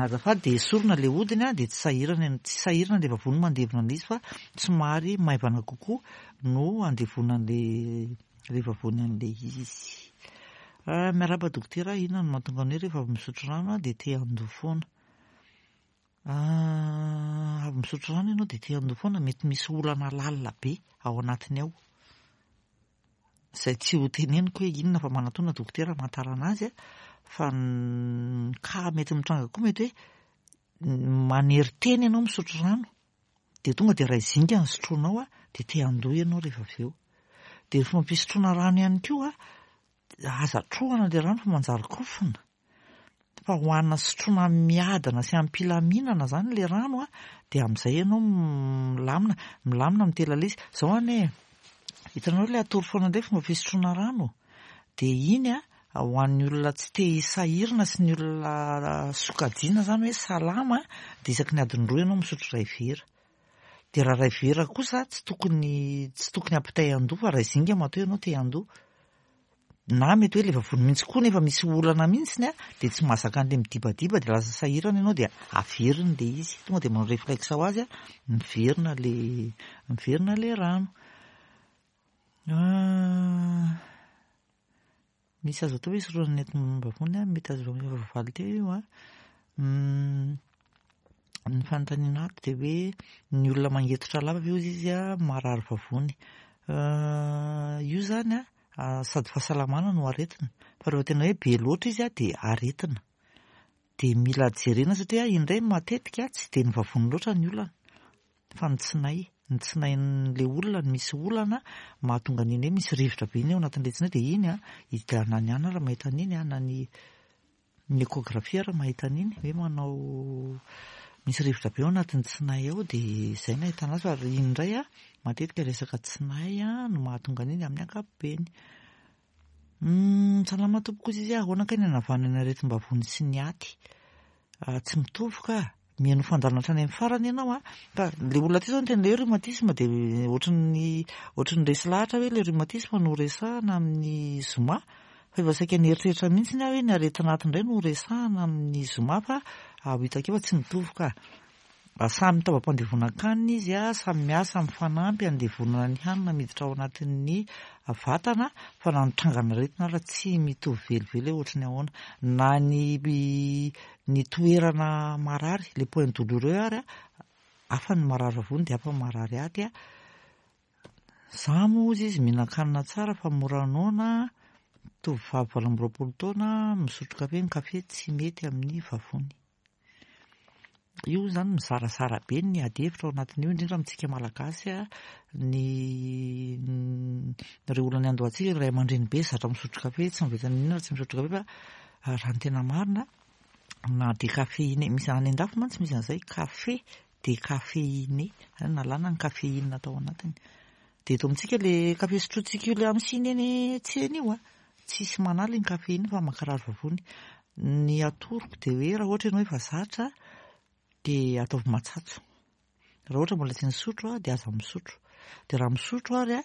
azafady, dia esorina ilay hodiny an, dia tsy sahirana, tsy sahirana ilay vavony mandevona an'ilay izy fa somary maivana kokoa no handevona an'ilay ilay vavony an'ilay izy. Miarahaba dokotera, inona no mahatonga ny hoe rehefa avy misotro rano dia te handoa foana? Avy misotro rano ianao dia te handoa foana, mety misy olana lalina be ao anatiny ao. Izay tsy ho teneniko hoe inona fa manatona dokotera hamantarana azy fa ny cas mety mitranga koa mety hoe manery tena ianao misotro rano dia tonga dia iray zinga ny sotroinao dia te handoa ianao rehefa avy eo. Dia ny fomba fisotroana rano ihany koa aza trohana ilay rano fa manjary kofona. Fa hohanina sy sotroina miadana sy am-pilaminana izany ilay rano an, dia amin'izay ianao milamina, milamina mitela ilay izy. Izao anie e, hitanareo ilay atoro foana indray fomba fisotroana rano? Dia iny an, ho an'ny olona tsy te hisahirana sy ny olona sokajiana izany hoe salama, dia isaky ny adiny roa ianao misotro iray vera. Dia raha iray vera kosa tsy tokony tsy tokony hampitay an-doha fa iray zinga matoa ianao te handoa. Na mety hoe ilay vavony mihitsy koa nefa misy olana mihitsy an, dia tsy mahazaka an'ilay midibadiba dia lasa sahirana ianao dia averiny ilay izy. Tonga dia manao réflexe ho azy an, miverina ilay miverina ilay rano. Misy azo atao hoe hisorohana ny aretim-bavony an, mety azo efa voavaly teo io an. Ny fanontaniana ato dia hoe ny olona mangetotra lava ve hozy izy an marary vavony. Io izany an, sady fahasalamana no aretina, fa rehefa tena hoe be loatra izy dia aretina. Dia mila jerena satria indray matetika tsy dia ny vavony loatra ny olana fa ny tsinay. Ny tsinain'ilay olona no misy olana mahatonga an'iny hoe misy rivotra be iny ao anatin'ilay tsinay dia iny an, na ny anona ary mahita an'iny an, na ny Ny échographie ary mahita an'iny hoe manao Misy rivotra be ao anatin'ny tsinay ao dia izay no ahitana azy fa iny indray a, matetika resaka tsinay no mahatonga an'iny amin'ny ankapobeny. Salama tompoko izy izy, ahoana kay ny hanavahana ny aretim-bavony sy ny aty? Tsy mitovy ka, mihaino fandaharana hatrany amin'ny farany ianao a, fa le olona aty zao niteny le hoe rhumatisme dia ohatran'ny ohatran'ny resy lahatra hoe le rhumatisme no resahana amin'ny zoma. Fa efa saika nieritreritra mihitsy aho hoe ny aretina aty indray no resahana amin'ny zoma fa ho hitako eo fa tsy mitovy ka. Samy taovam-pandevonan-kanina izy, samy miasa mifanampy handevonana ny hanina miditra ao anatin'ny vatana fa na ny trangan'aretina ara tsy mitovy velively hoe ohatry ny ahoana. Na ny ny toerana marary, le point douloureux ary, hafa ny marary vavony dia hafa ny marary aty. Za moa hozy izy mihinan-kanina tsara fa mora noana, tovovavy 28 taona, misotro kafe, ny kafe tsy mety amin'ny vavony. Io zany mizarazara be ny ady hevitra ao anatin'io, indrindra amintsika malagasy, ny ireo olona niandohantsika, ray aman-dreny be zatra misotro kafe, tsy mahavita n'inona raha tsy misotro kafe fa raha ny tena marina na décaféiné, misy any an-dafy mantsy misy an'izay kafe décaféiné, zany nalana ny caféine tao anatiny. Dia eto amintsika le kafe sotrointsika io le amin'ny siny eny tsena io a, tsisy manala iny kafe iny fa mankarary vavony. Ny atoroko dia hoe raha ohatra ianao efa zatra dia ataovy matsatso. Raha ohatra mbola tsy nisotro dia aza misotro. Dia raha misotro ary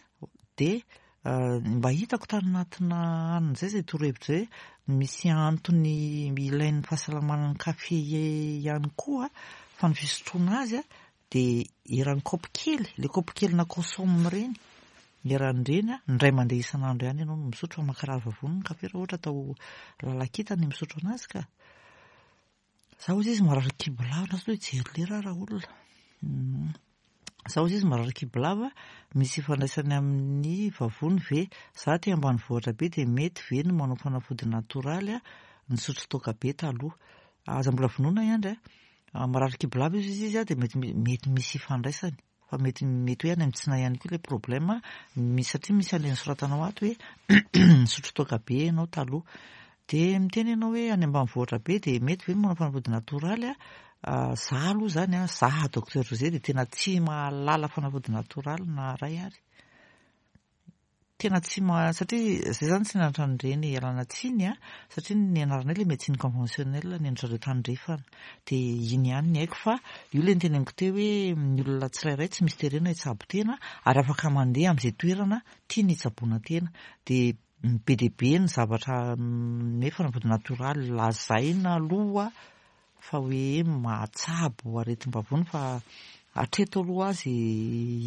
dia mba hitako tany anatina anona izay izay torohevitra izay hoe misy antony ilain'ny fahasalamana ny kafe ihany koa fa ny fisotroana azy dia eran'ny kaopy kely, ilay kaopy kely na consomme ireny, eran'ireny indray mandeha isan'andro ihany ianao no misotro fa mankarary vavony ny kafe raha ohatra atao lalan-kintana ny misotro anazy ka. Za hozy izy marary kibo lava, lasa hoe hijery lera aho raolona. Za hozy izy marary kibo lava, misy ifandraisany amin'ny vavony ve? Za aty ambanivohitra be dia mety ve ny manao fanafody natoraly a? Nisotro toaka be taloha. Aza mbola vonoina i Andry a. Marary kibo lava izy izy dia mety mety misy ifandraisany. Fa mety mety hoe any amin'ny tsinay ihany koa ilay problème, misy satria misy an'ilay nosoratanao ato hoe nisotro toaka be ianao taloha. Dia miteny ianao hoe any ambanivohitra be dia mety ve ny manao fanafody natoraly a? Za aloha izany a, za docteur José dia tena tsy mahalala fanafody natoraly na iray ary. Tena tsy ma satria zay zany tsy nianatra an'ireny ialana tsiny a, satria ny nianaranay le médecine conventionnelle ny an-dry zareo tandrefana, de iny ihany ny haiko fa io le noteneniko teo hoe ny olona tsirairay tsy misy terena hitsabo tena ary afaka mandeha amin'izay toerana tiany hitsaboana tena, de be dia be ny zavatra hoe fanafody natoraly lazaina aloha fa hoe mahatsabo aretim-bavony fa hatreto aloha azy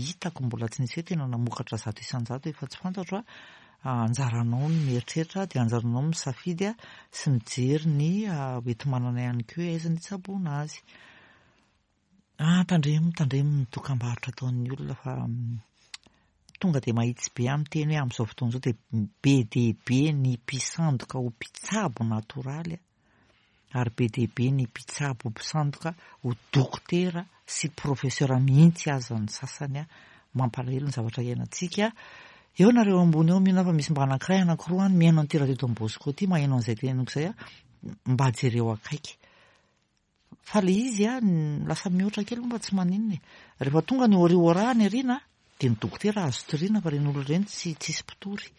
hitako mbola tsy nisy hoe tena namokatra 100% efa tsy fantatro a, anjaranao ny mieritreritra dia anjaranao misafidy sy mijery ny hoenti-manana ihany koa hoe aiza ny hitsaboana azy. Ah, tandremo, tandremo ny dokam-barotra ataon'ny olona fa tonga dia mahitsy be aho miteny hoe amin'izao fotoana izao dia be dia be ny mpisandoka ho mpitsabo natoraly ary be dia be ny mpitsabo mpisandoka ho dokotera sy professeur mihitsy aza ny sasany a! Mampalahelo ny zavatra iainantsika. Eo nareo ambony eo mino aho fa misy mba anankiray anankiroa any mihaino an'ity radio Don Bosco ity maheno an'izay teneniko izay a! Mba jereo akaiky. Fa le izy a, lasa mihoatra kely moa fa tsy maninona e. Rehefa tonga ny ori ora any aoriana dia ny dokotera azo toriana fa ireny olona ireny tsy tsisy mpitory.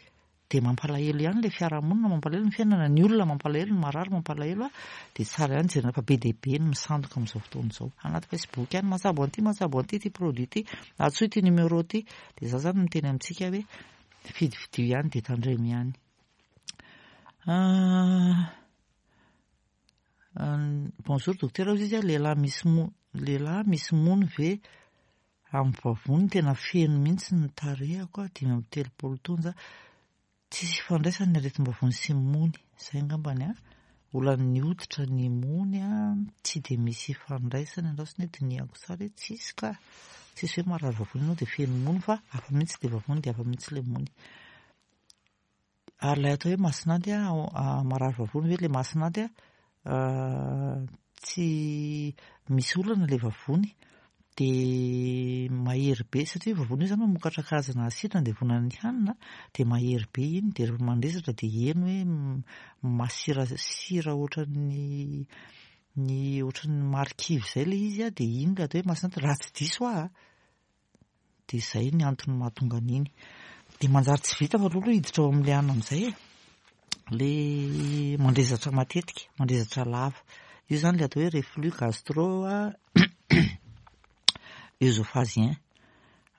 Dia mampalahelo ihany ilay fiarahamonina, mampalahelo ny fiainana, ny olona mampalahelo, ny marary mampalahelo a, dia tsara ihany jerena fa be dia be ny misandoka amin'izao fotoana izao. Anaty Facebook any, mahatsabo an'ity, mahatsabo an'ity, ity produit ity, antsoy ity numéro ity. Dia za zany miteny amintsika hoe fidifidio ihany dia tandremo ihany. Bonjour docteur, hoy izy, lehilahy misy mo-, lehilahy misy mony ve Amin'ny vavony tena feno mihitsy ny tarehiko a, 35 taona za, tsisy ifandraisany ny aretim-bavony sy ny mony, zay angambany a, olan'ny hoditra ny mony a, tsy dia misy ifandraisany, andraso anie dinihako tsara hoe tsisy ka, tsisy hoe marary vavony ianao dia feno mony fa hafa mihitsy ilay vavony dia hafa mihitsy ilay mony. Ary ilay atao hoe masinanty a, marary vavony ve ilay masinanty a, tsy misy olana ilay vavony dia mahery be satria vavony io izany mamokatra karazana asidra andevonan'ny hanina dia mahery be iny dia rehefa mandresatra dia heno hoe masirasira ohatran'ny. ny ohatran'ny marikivy izay ilay izy an, dia iny ilay atao hoe masse raha tsy diso aho an, dia izay ny antony mahatonga an'iny. Dia manjary tsy vita fa aleo aloha hiditra ao amin'ilay anona amin'izay e. Ilay mandrezatra matetika, mandrezatra lava. Io izany ilay atao hoe reflux gastro œsophagien.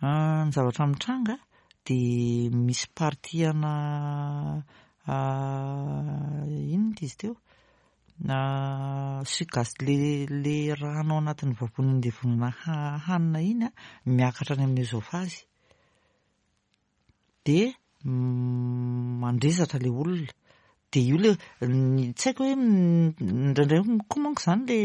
Ny zavatra mitranga dia misy partie ana inona izy teo? Suc gas le le rano ao anatin'ny vavony andevonana hanina iny an, miakatra any amin'ny œsophage. Dia mandrezatra le olona. Dia io le tsy haiko hoe indraindray koa manko izany le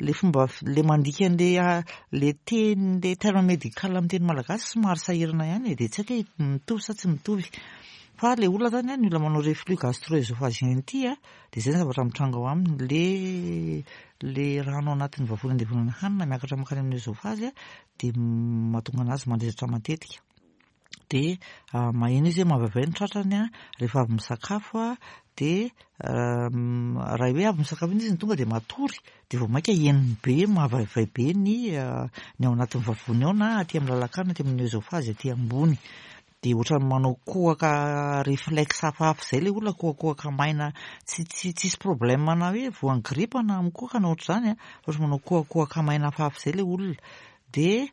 le fomba le mandika an'le le teny le terme médical amin'ny teny malagasy somary sahirana ihany e, dia tsy haiko hoe mitovy sa tsy mitovy. Fa le olona izany an, ny olona manao reflux gastro-œsophagien ity an, Dia izay ny zavatra mitranga ao aminy, le le rano ao anatin'ny vavony andevonana hanina miakatra mankany amin'ny œsophage dia mahatonga anazy mandrezatra matetika. Dia maheno izy hoe mavaivay ny tratrany rehefa avy misakafo dia raha hoe avy misakafo iny izy no tonga dia matory dia vao mainka henony be mavaivay be ny ny ao anatin'ny vavony ao na aty amin'ny lalan-kanina aty amin'ny œsophage aty ambony. Dia ohatran'ny manao kohaka reflexe hafahafa izay ilay olona, kohakohaka maina tsy tsy tsisy problème na hoe voan'ny grippe na mikohaka na ohatr'izany an, fa ohatran'ny manao kohakohaka maina hafahafa izay ilay olona. Dia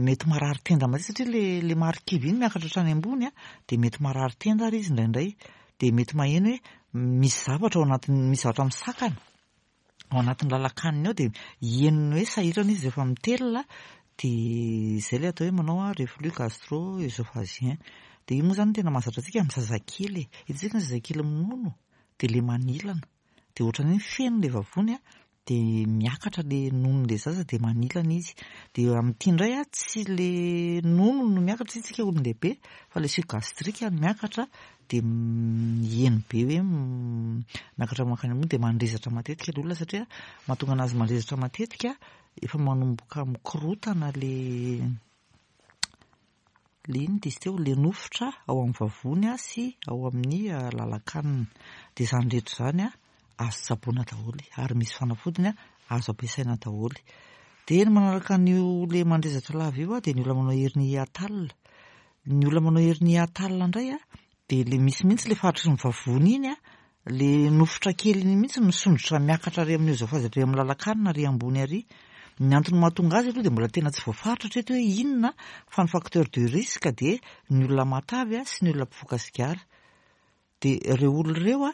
mety marary tenda mihitsy satria ilay ilay marikivy iny miakatra hatrany ambony an, dia mety marary tenda ary izy indraindray. Dia mety maheno hoe misy zavatra ao anatin'ny, misy zavatra misakana. ao anatin'ny lalan-kaniny ao dia henony hoe sahirana izy rehefa mitelina dia izay ilay atao hoe manao reflux gastro-œsophagien. Dia io moa izany no tena mahazatra antsika amin'ny zazakely e. Hitantsika ny zazakely minono dia ilay manilana. Dia ohatran'ny hoe feno ilay vavony dia miakatra ilay nonon'ilay zaza dia manilana izy. Dia amin'ity indray tsy ilay nono no miakatra satria isika olon-dehibe fa ilay suc gastrique no miakatra dia heno be hoe miakatra mankany ambony dia mandrezatra matetika ilay olona satria mahatonga anazy mandrezatra matetika efa manomboka mikorotana le le inona izy teo le nofotra ao amin'ny vavony sy ao amin'ny lalan-kanina dia izany rehetra izany azo tsaboina daholo ary misy fanafodiny azo ampiasaina daholo dia ny manaraka an'io le mandrezatra lava io dia ny olona manao hernie hiatale Ny olona manao hernie hiatale indray a, dia le misy mihitsy le faritry ny vavony iny a, le nofotra kely iny mihitsy misondrotra miakatra ary amin'ny oezofazy ary amin'ny lalan-kanina ary ambony ary. Ny antony mahatonga azy aloha dia mbola tena tsy voafaritra hatreto hoe inona fa ny facteur de risque dia ny olona matavy sy ny olona mpifoka sigara. Dia ireo olona ireo a,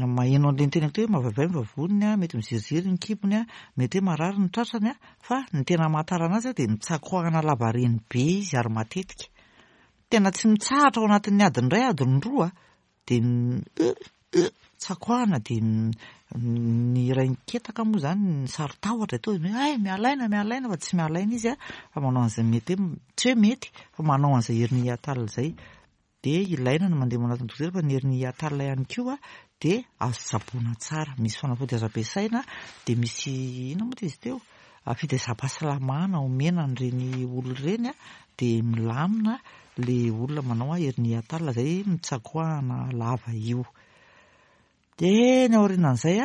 maheno an'ilay niteneniko teo hoe mavaivay ny vavoniny a, mety miziriziry ny kibony a, mety hoe marary ny tratrany a, fa ny tena amantarana azy a dia mitsakoahana lavareny be izy ary matetika. Tena tsy mitsahatra ao anatin'ny adiny iray, adiny roa dia tsakoahana dia ny rain-ketaka moa izany ny saro-tahotra dia tonga dia hoe hay miala aina, miala aina fa tsy miala aina izy a, fa manao an'izay mety hoe, tsy hoe mety fa manao an'izay hernie hiatale izay. Dia ilaina ny mandeha manatona dokotera fa ny hernie hiatale ihany koa dia azo tsaboina tsara. Misy fanafody azo ampiasaina dia misy inona moa izy teo? Fitaizam-pahasalamana omena an'ireny olona ireny dia milamina ilay olona manao hernie hiatale izay mitsakoahana lava io. Dia ny aorianan'izay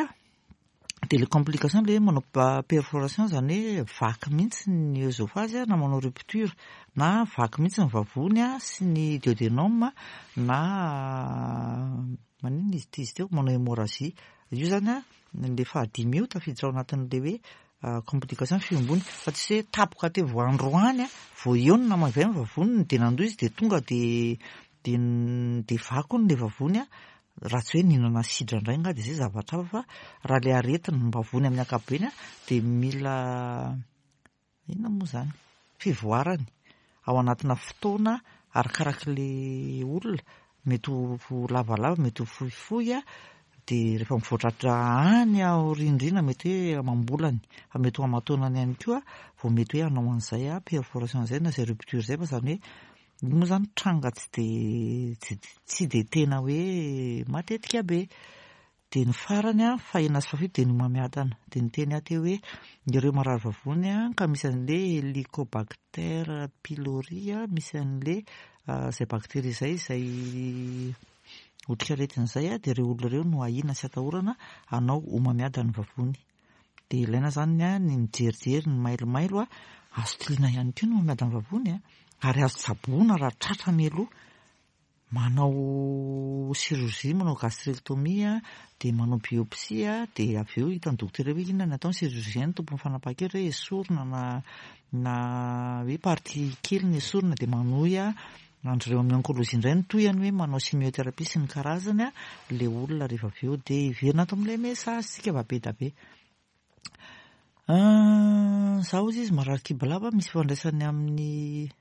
dia le complication le hoe manao perforation izany hoe vaky mihitsy ny oesophage na manao rupture na vaky mihitsy ny vavony sy ny duodenum na maninona izy ity izy teo manao hémorragie io izany le fahadimy io tafiditra ao anatin'le hoe complication fihombony fa tsy hoe tapoka teo vao androany vao eo no namavay ny vavoniny dia nandoa izy dia tonga dia dia dia vaky hono le vavony raha tsy hoe nihinana asidra indray angaha dia izay zavatra hafa fa raha ilay aretim-bavony amin'ny ankapobeny dia mila inona moa izany fivoarany ao anatina fotoana arakarak'ilay olona mety ho lavalava mety ho fohifohy dia rehefa mivoatra any aoriandriana mety hoe amam-bolany fa mety ho aman-taonany ihany koa vao mety hoe hanao an'izay perforation izay na izay rupture izay fa izany hoe Io moa izany tranga tsy dia tsy dia tena hoe matetika be. Dia ny farany an, fahenina sy fahafito dia ny homamiadana. Dia niteny aho teo hoe ireo marary vavony an, ka misy an'ilay Helicobacter pylori, misy an'ilay izay bakteria izay, izay. otrikaretina izay dia ireo olona ireo no ahiana sy atahorana hanao homamiadan'ny vavony. Dia ilaina izany ny mijerijery ny mailomailo, azo tiliana ihany koa ny homamiadan'ny vavony ary azo tsaboina raha tratra mialoha. Manao chirurgie, manao gastrectomie, dia manao biopsie, dia avy eo hitan'ny dokotera hoe inona ny atao, ny chirurgien no tompon'ny fanapahan-kevitra hoe esorina na na hoe partie kely no esorina dia manohy an-dry zareo amin'ny oncologie indray ny tohiny hoe manao chimiothérapie sy ny karazany ilay olona rehefa avy eo dia hiverina ato amin'ilay message tsika fa be dia be. Izaho hozy izy marary kibo lava misy ifandraisany amin'ny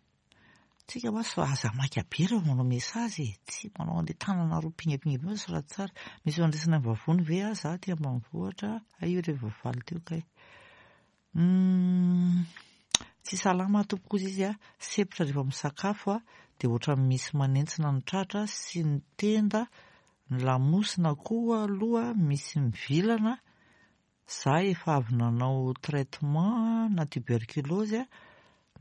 Tsika wa so aza maika be rehefa manao message e, tsy manao an'le tanana roa pingapinga be fa soraty tsara. Misy fandraisana amin'ny vavony ve ah za aty ambanivohitra, hay io rehefa voavaly teo kay. Humm tsy salama aho tompoko ozy izy ah, sempotra rehefa misakafo ah, dia ohatran'ny misy manentsina ny tratra sy ny tenda, ny lamosina koa aloha misy mivilana, Za efa avy nanao traitement na tuberculose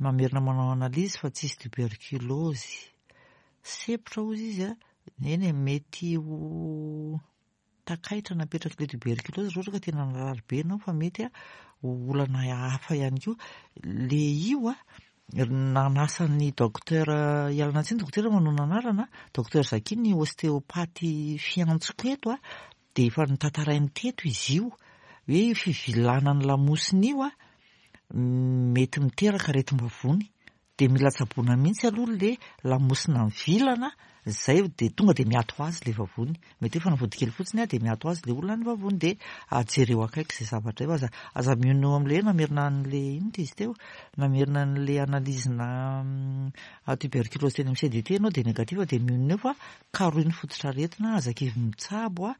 mamerina manao analyse fa tsisy tuberculose. Sempotra hozy izy a, eny e mety ho takaitra napetrak'ilay tuberculose raha ohatra ka tena narary be ianao fa mety ho olana hafa ihany koa. Le io a, nanasa ny docteur, ialana tsiny dokotera manonona anarana, docteur Zaki ny ostéopathe fiantsoko eto a, Dia efa notantarainy teto izy io, hoe io fivilanan'ny lamosina io mety miteraka aretim-bavony. Dia mila tsaboina mihitsy aloha ilay lamosina mivilana, izay dia tonga dia miato ho azy ilay vavony. Mety hoe fanafody kely fotsiny dia miato ho azy ilay olona ny vavony. Dia jereo akaiky izay zavatra io. Aza aza mionona eo amin'ilay hoe namerina an'ilay inona ity izy teo? Namerina an'ilay analyse-na tuberculose teny amin'ny CDT ianao dia négatif dia mionona eo fa Karohy ny fototr'aretina, aza kivy mitsabo a!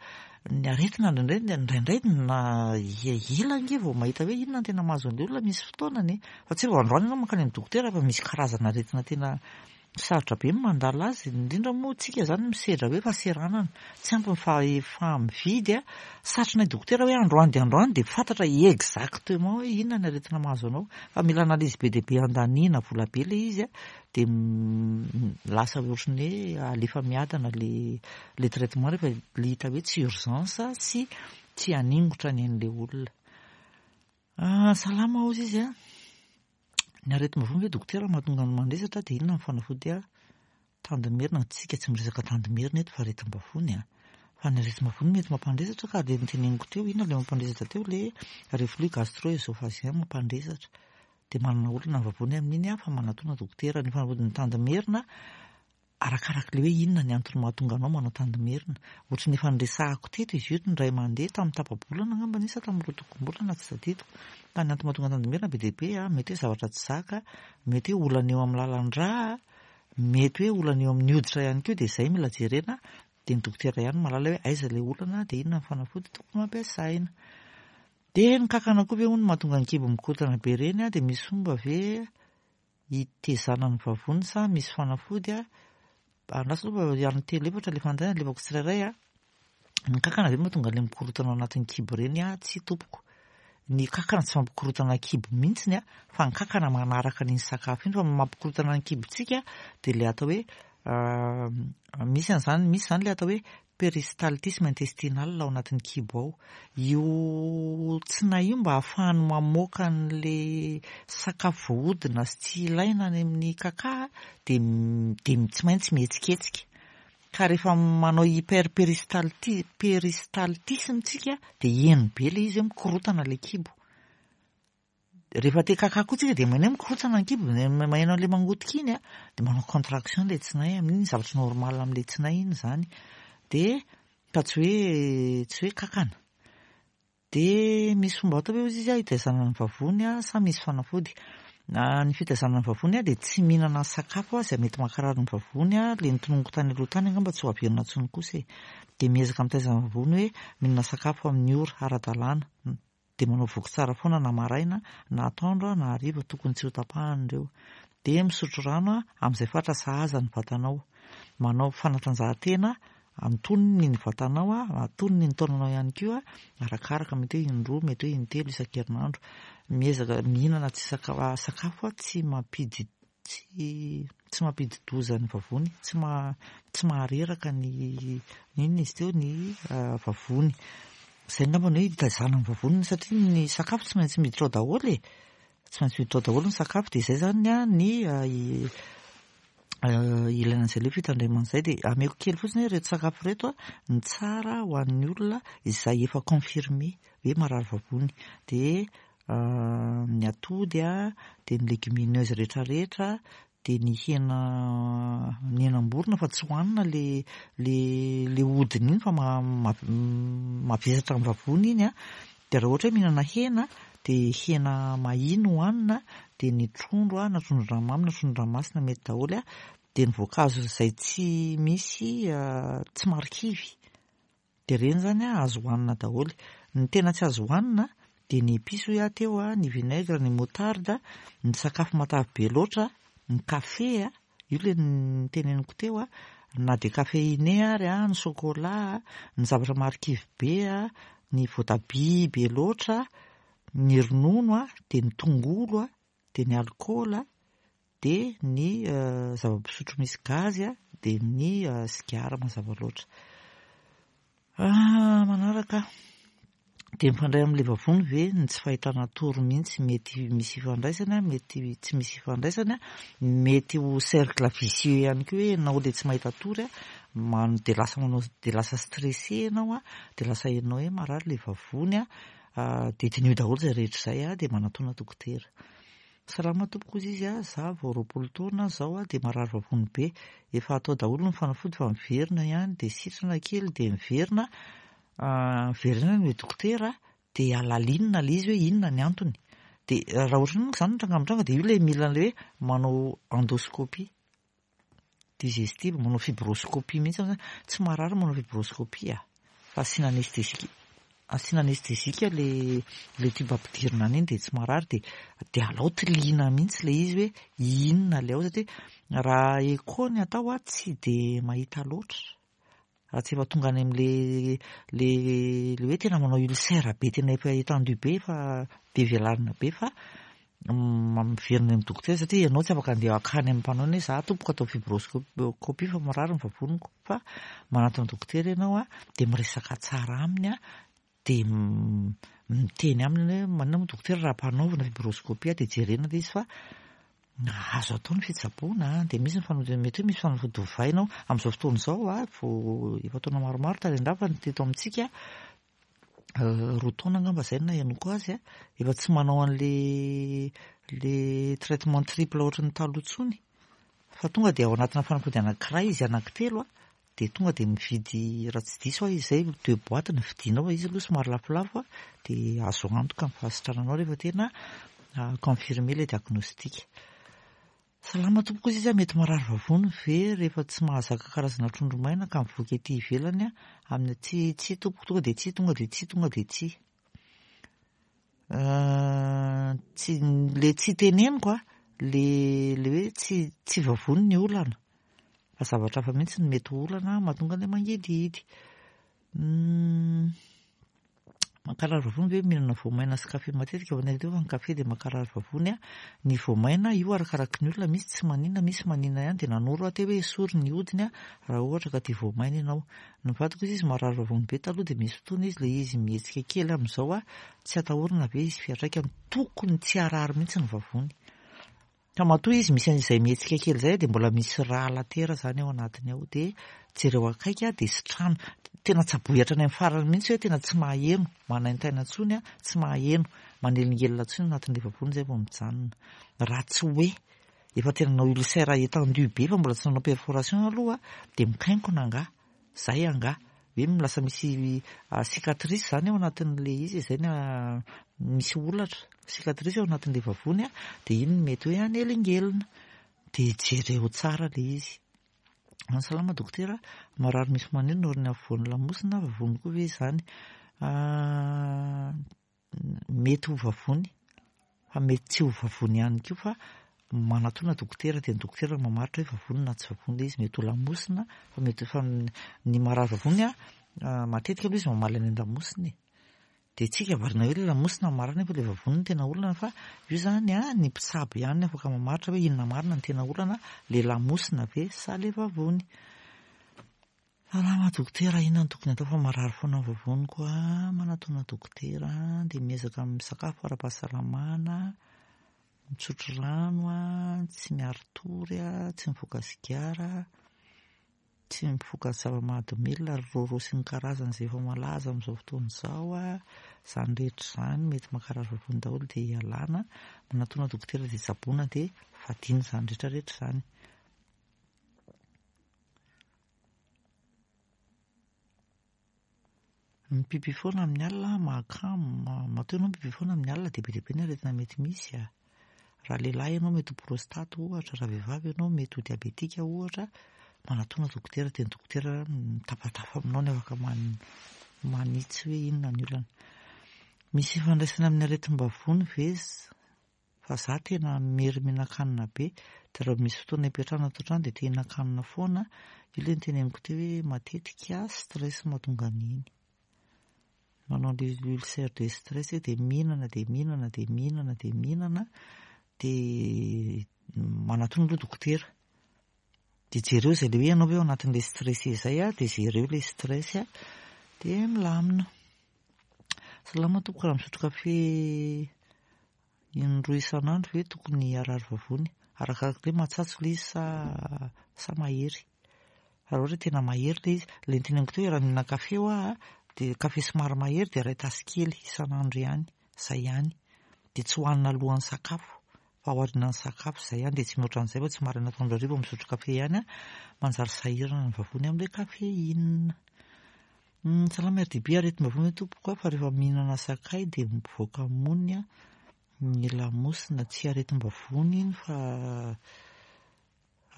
Ny aretina indraindray indraindray na ela ange vao mahita hoe inona no tena mahazo an'ilay olona misy fotoanany e! Fa tsy hoe vao androany ianao mankany amin'ny dokotera fa misy karazana aretina tena sarotra be ny mandala azy, indrindra moa tsika izany misedra hoe fahaseranana, tsy ampy ny fahefa-mividy a! Satrinay dokotera hoe androany dia androany dia fantatra exactement hoe inona ny aretina mahazo anao fa mila analyse be dia be andaniana vola be ilay izy a! dia lasa ohatran'ny hoe alefa miadana le le traitement rehefa le hita hoe tsy urgence sy tsy haningotra ny ain'ilay olona. Ah, salama hozy izy a. Ny aretim-bavony ve dokotera mahatonga ny mandresatra dia inona ny fanafody a? Tandimerina, tsika tsy miresaka tandimerina eto fa aretim-bavony a. Fa ny aretim-bavony mety mampandresatra ka le noteneniko teo, inona le mampandresatra teo le reflux gastro-œsophagien mampandresatra. Dia manana olana ny vavony amin'iny aho fa manatona dokotera. Ny fanafodin'ny tandimerina, arakarak'ilay hoe inona ny antony mahatonga anao manao tandimerina. Ohatry ny efa niresahako teto izy io indray mandeha tamin'ny tapa-bolana angamba anie sa tamin'ny roatokom-bolana tsy tadidiko. Fa ny antony mahatonga tandimerina be dia be, mety hoe zavatra tsy zaka, mety hoe olana eo amin'ny lalan-drà, mety hoe olana eo amin'ny hoditra ihany koa dia izay mila jerena. Dia ny dokotera ihany no mahalala hoe aiza ilay olana dia inona ny fanafody tokony ho ampiasaina. Dia ny kankana koa ve hono mahatonga ny kibo mikorontana be ireny a, dia misy fomba ve hitezana ny vavony sa misy fanafody a? Andraso aloha fa any telo efatra ilay fanontaniana alefako tsirairay a. Ny kankana ve mahatonga an'ilay mikorontana ao anatin'ny kibo ireny a? Tsia tompoko. Ny kankana tsy mampikorontana kibo mihitsiny a, fa ny kankana manaraka an'iny sakafo iny fa ny mampikorontana ny kibontsika dia ilay atao hoe misy an'izany, misy izany ilay atao hoe Peristaltisme intestinal ao anatin'ny kibo ao. Io tsinay io mba ahafahany mamoaka an'le sakafo voahodina sy tsy ilaina any amin'ny kaka dia dia tsy maintsy mihetsiketsika. Ka rehefa manao hyperperistalti- peristaltisme tsika dia heno be ilay izy hoe mikorontana ilay kibo. Rehefa te kaka koa tsika dia maheno hoe mikorontana ny kibo, maheno an'ilay mangotika iny a, dia manao contraction ilay tsinay amin'iny, zavatra normal amin'ilay tsinay iny izany. Dia fa tsy hoe tsy hoe kakana. Dia misy fomba atao ve hozy izy hitaizana ny vavony sa misy fanafody? Ny fitaizana ny vavony dia tsy mihinana sakafo izay mety mankarary ny vavony, ilay notononiko tany aloha tany angamba tsy ho averina intsony kosa e. Dia miezaka mitaiza ny vavony hoe mihinana sakafo amin'ny ora ara-dalàna. Dia manao voky tsara foana na maraina na atoandro na hariva tokony tsy ho tapahana ireo. Dia misotro rano amin'izay fatra sahaza ny vatanao. Manao fanatanjahantena antonony ny vatanao, antonony ny taonanao ihany koa, arakaraka mety hoe indroa mety hoe intelo isan-kerinandro. Miezaka mihinana tsy sakafo tsy mampidi. tsy tsy mampidi-doza ny vavony, tsy ma tsy mahareraka ny inona izy teo ny vavony. Izay angamba ny hoe hitaizana ny vavony satria ny sakafo tsy maintsy miditra ao daholo e. Tsy maintsy miditra ao daholo ny sakafo dia izay izany ny ilaina an'izay ilay fitandremana izay. Dia ameko kely fotsiny hoe ireto sakafo ireto ny tsara ho an'ny olona izay efa confirmé hoe marary vavony. Dia ny atody dia ny légumineuse rehetrarehetra, dia ny hena ny henam-borona fa tsy hohanina le le le hodiny iny fa mavesatra amin'ny vavony iny an, dia raha ohatra hoe mihinana hena dia hena mahia no hohanina, dia ny trondro an, na trondron-dranomamy na trondron-dranomasina mety daholo an, dia ny voankazo izay tsy misy tsy marikivy. Dia ireny izany an, azo hohanina daholo. Ny tena tsy azo hohanina dia ny épices hoy aho teo an, ny vinaigre, ny moutarde, ny sakafo matavy be loatra, ny kafe an, io ilay noteneniko teo an, na dia caféiné ary an, ny chocolat, ny zavatra marikivy be an, ny voatabia be loatra, ny ronono an, dia ny tongolo an, dia ny alikaola, dia ny zava-pisotro misy gazy dia ny sigara mazava loatra. Manaraka dia mifandray amin'ilay vavony ve ny tsy fahitana tory mihitsy mety misy ifandraisany mety tsy misy ifandraisany mety ho cercle vicieux ihany koa hoe ianao ilay tsy mahita tory dia lasa manao dia lasa stressé ianao dia lasa henonao hoe marary ilay vavony dia diniho daholo izay rehetra izay dia manatòna dokotera. Salama tompoko ozy izy a, za vao 20 taona zao a de marary vavony be, efa atao daholo ny fanafody fa miverina ihany de sitrana kely de miverina, miverina any le dokotera de alalinina le izy hoe inona ny antony, de raha ohatran'io manko zany ny tranga mitranga de io le mila an'le hoe manao endoscopie. Digestive, manao fibroscopie mihitsy aho zany, tsy marary manao fibroscopie a, fa asiana anesthésique, asiana anesthésique le le tube ampidirina any iny dia tsy marary dia dia alao tiliana mihitsy le izy hoe inona le ao satria raha écho ny atao a tsy dia mahita loatra. Raha tsy efa tonga any amin'le le le hoe tena manao ulcère be tena efa étendu be efa be velarana be fa miverina any amin'ny dokotera satria ianao tsy afaka andeha hankany amin'ny mpanao hoe za tompoko atao fibroscopie fa marary ny vavoniko fa manatona dokotera ianao a dia miresaka tsara aminy a dia miteny aminy hoe maninona moa dokotera raha ampanaovina fibroscopie dia jerena ilay izy fa azo atao ny fitsaboana dia misy ny fanao mety hoe misy fanafody ovaina ao amin'izao fotoana izao a vao efa taona maromaro tany an-dafy ny teto amintsika 2 taona angamba izay no nahenoako azy a efa tsy manao an'le le traitement triple ohatran'ny taloha intsony fa tonga dia ao anatina fanafody anankiray izy anankitelo a dia tonga dia mividy raha tsy diso aho izay deux boîtes no vidianao fa izy aloha somary lafolafo dia azo antoka ny fahasitrananao rehefa tena confirmé ilay diagnostic. Salama tompoko izy mety marary vavony ve rehefa tsy mahazaka karazana trondro maina ka mivoaka ety ivelany amin'ny tsia tsia tompoko tonga dia tsia tonga dia tsia tonga dia tsia. Tsy le tsy teneniko a le le hoe tsy tsy vavony ny olana fa zavatra hafa mihitsy no mety ho olana mahatonga an'ilay mangidihidy. Mankarary vavony ve mihinana voamaina sy kafe matetika? Vao nahita fa ny kafe dia mankarary vavony a. Ny voamaina io arakaraky ny olona misy tsy maninona misy maninona ihany dia nanoro aho teo hoe esory ny hodiny a raha ohatra ka tia voamaina ianao. Ny vadiko izy izy marary vavony be taloha dia misy fotoana izy ilay izy mihetsika kely amin'izao a tsy atahorana ve izy fiantraikany tokony tsy harary mihitsy ny vavony. Fa matoa izy misy an'izay mihetsika kely izay dia mbola misy rà latera izany ao anatiny ao dia jereo akaiky dia sitrano. Tena tsaboy hatrany amin'ny farany mihitsy hoe tena tsy maheno, manaintaina intsony, tsy maheno, manelingelina intsony anatin'ilay vavony izay vao mijanona. Raha tsy hoe efa tena nanao ulcère étendu be fa mbola tsy nanao perforation aloha dia mikainkona angaha. Zay angaha. Hoe lasa misy cicatrice zany ao anatin'ilay izy, zay ny misy holatra, cicatrice ao anatin'ilay vavony dia iny no mety hoe hanelingelina. Dia jereo tsara ilay izy. Salama dokotera, marary misy maneno noho ny afovoan'ny lamosina, vavony koa ve izany? Mety ho vavony fa mety tsy ho vavony ihany koa fa manatona dokotera dia ny dokotera no mamaritra hoe vavony na tsy vavony ilay izy, mety ho lamosina fa mety fa ny marary vavony matetika aloha izy mamaly any an-damosina e. Dia tsika variana hoe ilay lamosina marina nefa ilay vavony no tena olana fa io izany an, ny mpitsabo ihany no afaka mamaritra hoe inona marina no tena olana, ilay lamosina ve sa ilay vavony. Salama dokotera, inona no tokony atao fa marary foana ny vavoniko a, manatona dokotera dia miezaka misakafo ara-pahasalamana, misotro rano a, tsy miari-tory a, tsy mifoka sigara. Tsy mifoka zava-mahadomelina ry Roro sy ny karazany izay efa malaza amin'izao fotoana izao a! Izany rehetra izany mety mankarary vavony daholo dia ialana, manatona dokotera dia tsaboina dia fadiana izany rehetra rehetra izany. Mipipy foana amin'ny alina mahakamo, matoa ianao mipipy foana amin'ny alina dia be dia be ny aretina mety misy a. Raha lehilahy ianao mety ho prostate ohatra, raha vehivavy ianao mety ho diabetika ohatra, manatona dokotera dia ny dokotera mitafatafa aminao ny afaka manitsy hoe inona ny olana. Misy ifandraisany amin'ny aretim-bavony ve Fa za tena mery mihinan-kanina be, de raha misy fotoana ipetrahana ato an-trano de te hihinan-kanina foana, io le noteneniko teo hoe matetika stress mahatonga an'iny. Manao le ulcère de stress hoe de mihinana de mihinana de mihinana de mihinana de manatona aloha dokotera. De jereo izay le hoe ianao ve ao anatin'le stressé izay a, de jereo le stress a, de milamina. Salama tompoko, raha misotro kafe indroa isan'andro ve tokony harary vavony? Arakaraka hoe matsatso ilay izy sa sa mahery. Raha ohatra hoe tena mahery ilay izy, ilay noteneniko teo hoe raha mihinana kafe hoa dia kafe somary mahery dia iray tasy kely isan'andro ihany, izay ihany. Dia tsy hohanina alohan'ny sakafo fa aorianan'ny sakafo, izay ihany dia tsy mihoatra an'izay fa tsy maraina atoandro hariva misotro kafe ihany an, manjary sahirana ny vavony amin'ilay caféine. Salama RDB, aretim-bavony ve tompoko a, fa rehefa mihinana sakay dia mivoaka mony ny lamosina, tsy aretim-bavony iny fa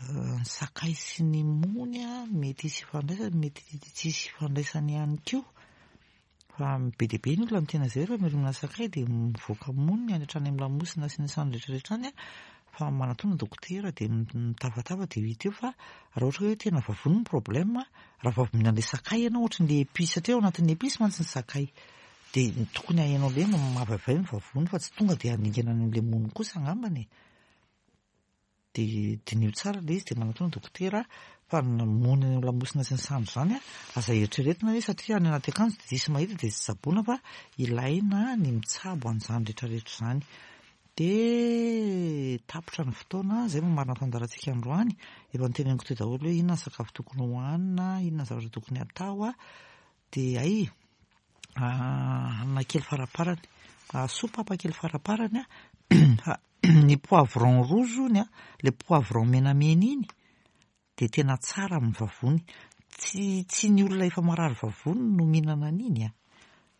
ny sakay sy ny mony mety hisy ifandraisany, mety tsy hisy ifandraisany ihany koa. Fa be dia be ny olona miteny an'izay rehefa mihinana sakay dia mivoaka mony any hatrany amin'ny lamosina sy ny sany rehetra rehetra any fa manatona dokotera dia mitafatafa dia ho hita eo fa raha ohatra hoe tena vavony ny problème raha vao avy mihinana ilay sakay ianao ohatry ny épice satria ao anatin'ny épice mantsy ny sakay dia tokony ahenao ilay mavaivay ny vavony fa tsy tonga dia haningana any amin'ilay mony kosa angambany e. Dia diniho tsara ilay izy dia manatona dokotera fa ny mony any amin'ny lamosina sy ny sandry izany an, aza eritreretina hoe satria any anaty akanjo dia tsisy mahita dia tsy tsaboina fa ilaina ny mitsabo an'izany rehetra rehetra izany. Dia tapitra ny fotoana, izay no marina fandaharantsika androany, efa noteneniko teo daholo hoe inona ny sakafo tokony hohanina, inona ny zavatra tokony hatao, dia hay hanina kely faraparany, soupe kely faraparany an, Ny poivron rouge hono an, ilay poivron menamena iny dia tena tsara amin'ny vavony. Tsy tsy ny olona efa marary vavony no mihinana an'iny an,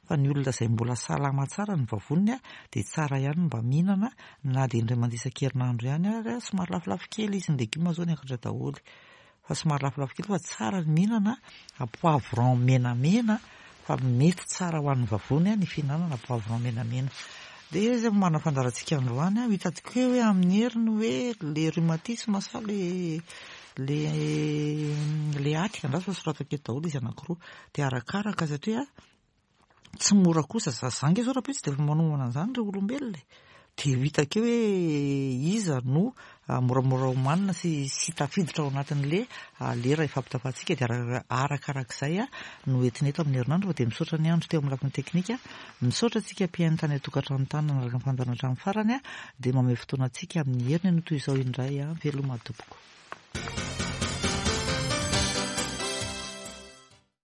fa ny olona izay mbola salama tsara ny vavoniny an, dia tsara ihany ny mba mihinana na dia indray mandeha isan-kerinandro ihany ary an, somary lafolafo kely izy, ny legioma izao niakatra daholo. Fa somary lafolafo kely fa tsara ny mihinana poivron menamena fa mety tsara ho an'ny vavony ny fihinanana poivron menamena. Dia izay no manana fandaharantsika androany, ho hitako eo hoe amin'ny heriny hoe le rhumatisme sa le le le aty, andraso fa soratako eto daholo izy anankiroa. Dia arakaraka satria Tsy mora kosa za, za nge zao rahampitso dia efa manomana an'izany ry olombelona e. Dia ho hita akeo hoe iza no moramora omanina sy sy tafiditra ao anatin'le lera ifampitafantsika dia arakarak'izay no entina eto amin'ny herinandro fa dia misaotra ny andro teo amin'ny lafiny teknika, misaotra antsika mpihaino tany an-tokantrano tany nanaraka ny fandaharana hatramin'ny farany dia mamehy fotoana antsika amin'ny heriny anio toy izao indray veloma tompoko.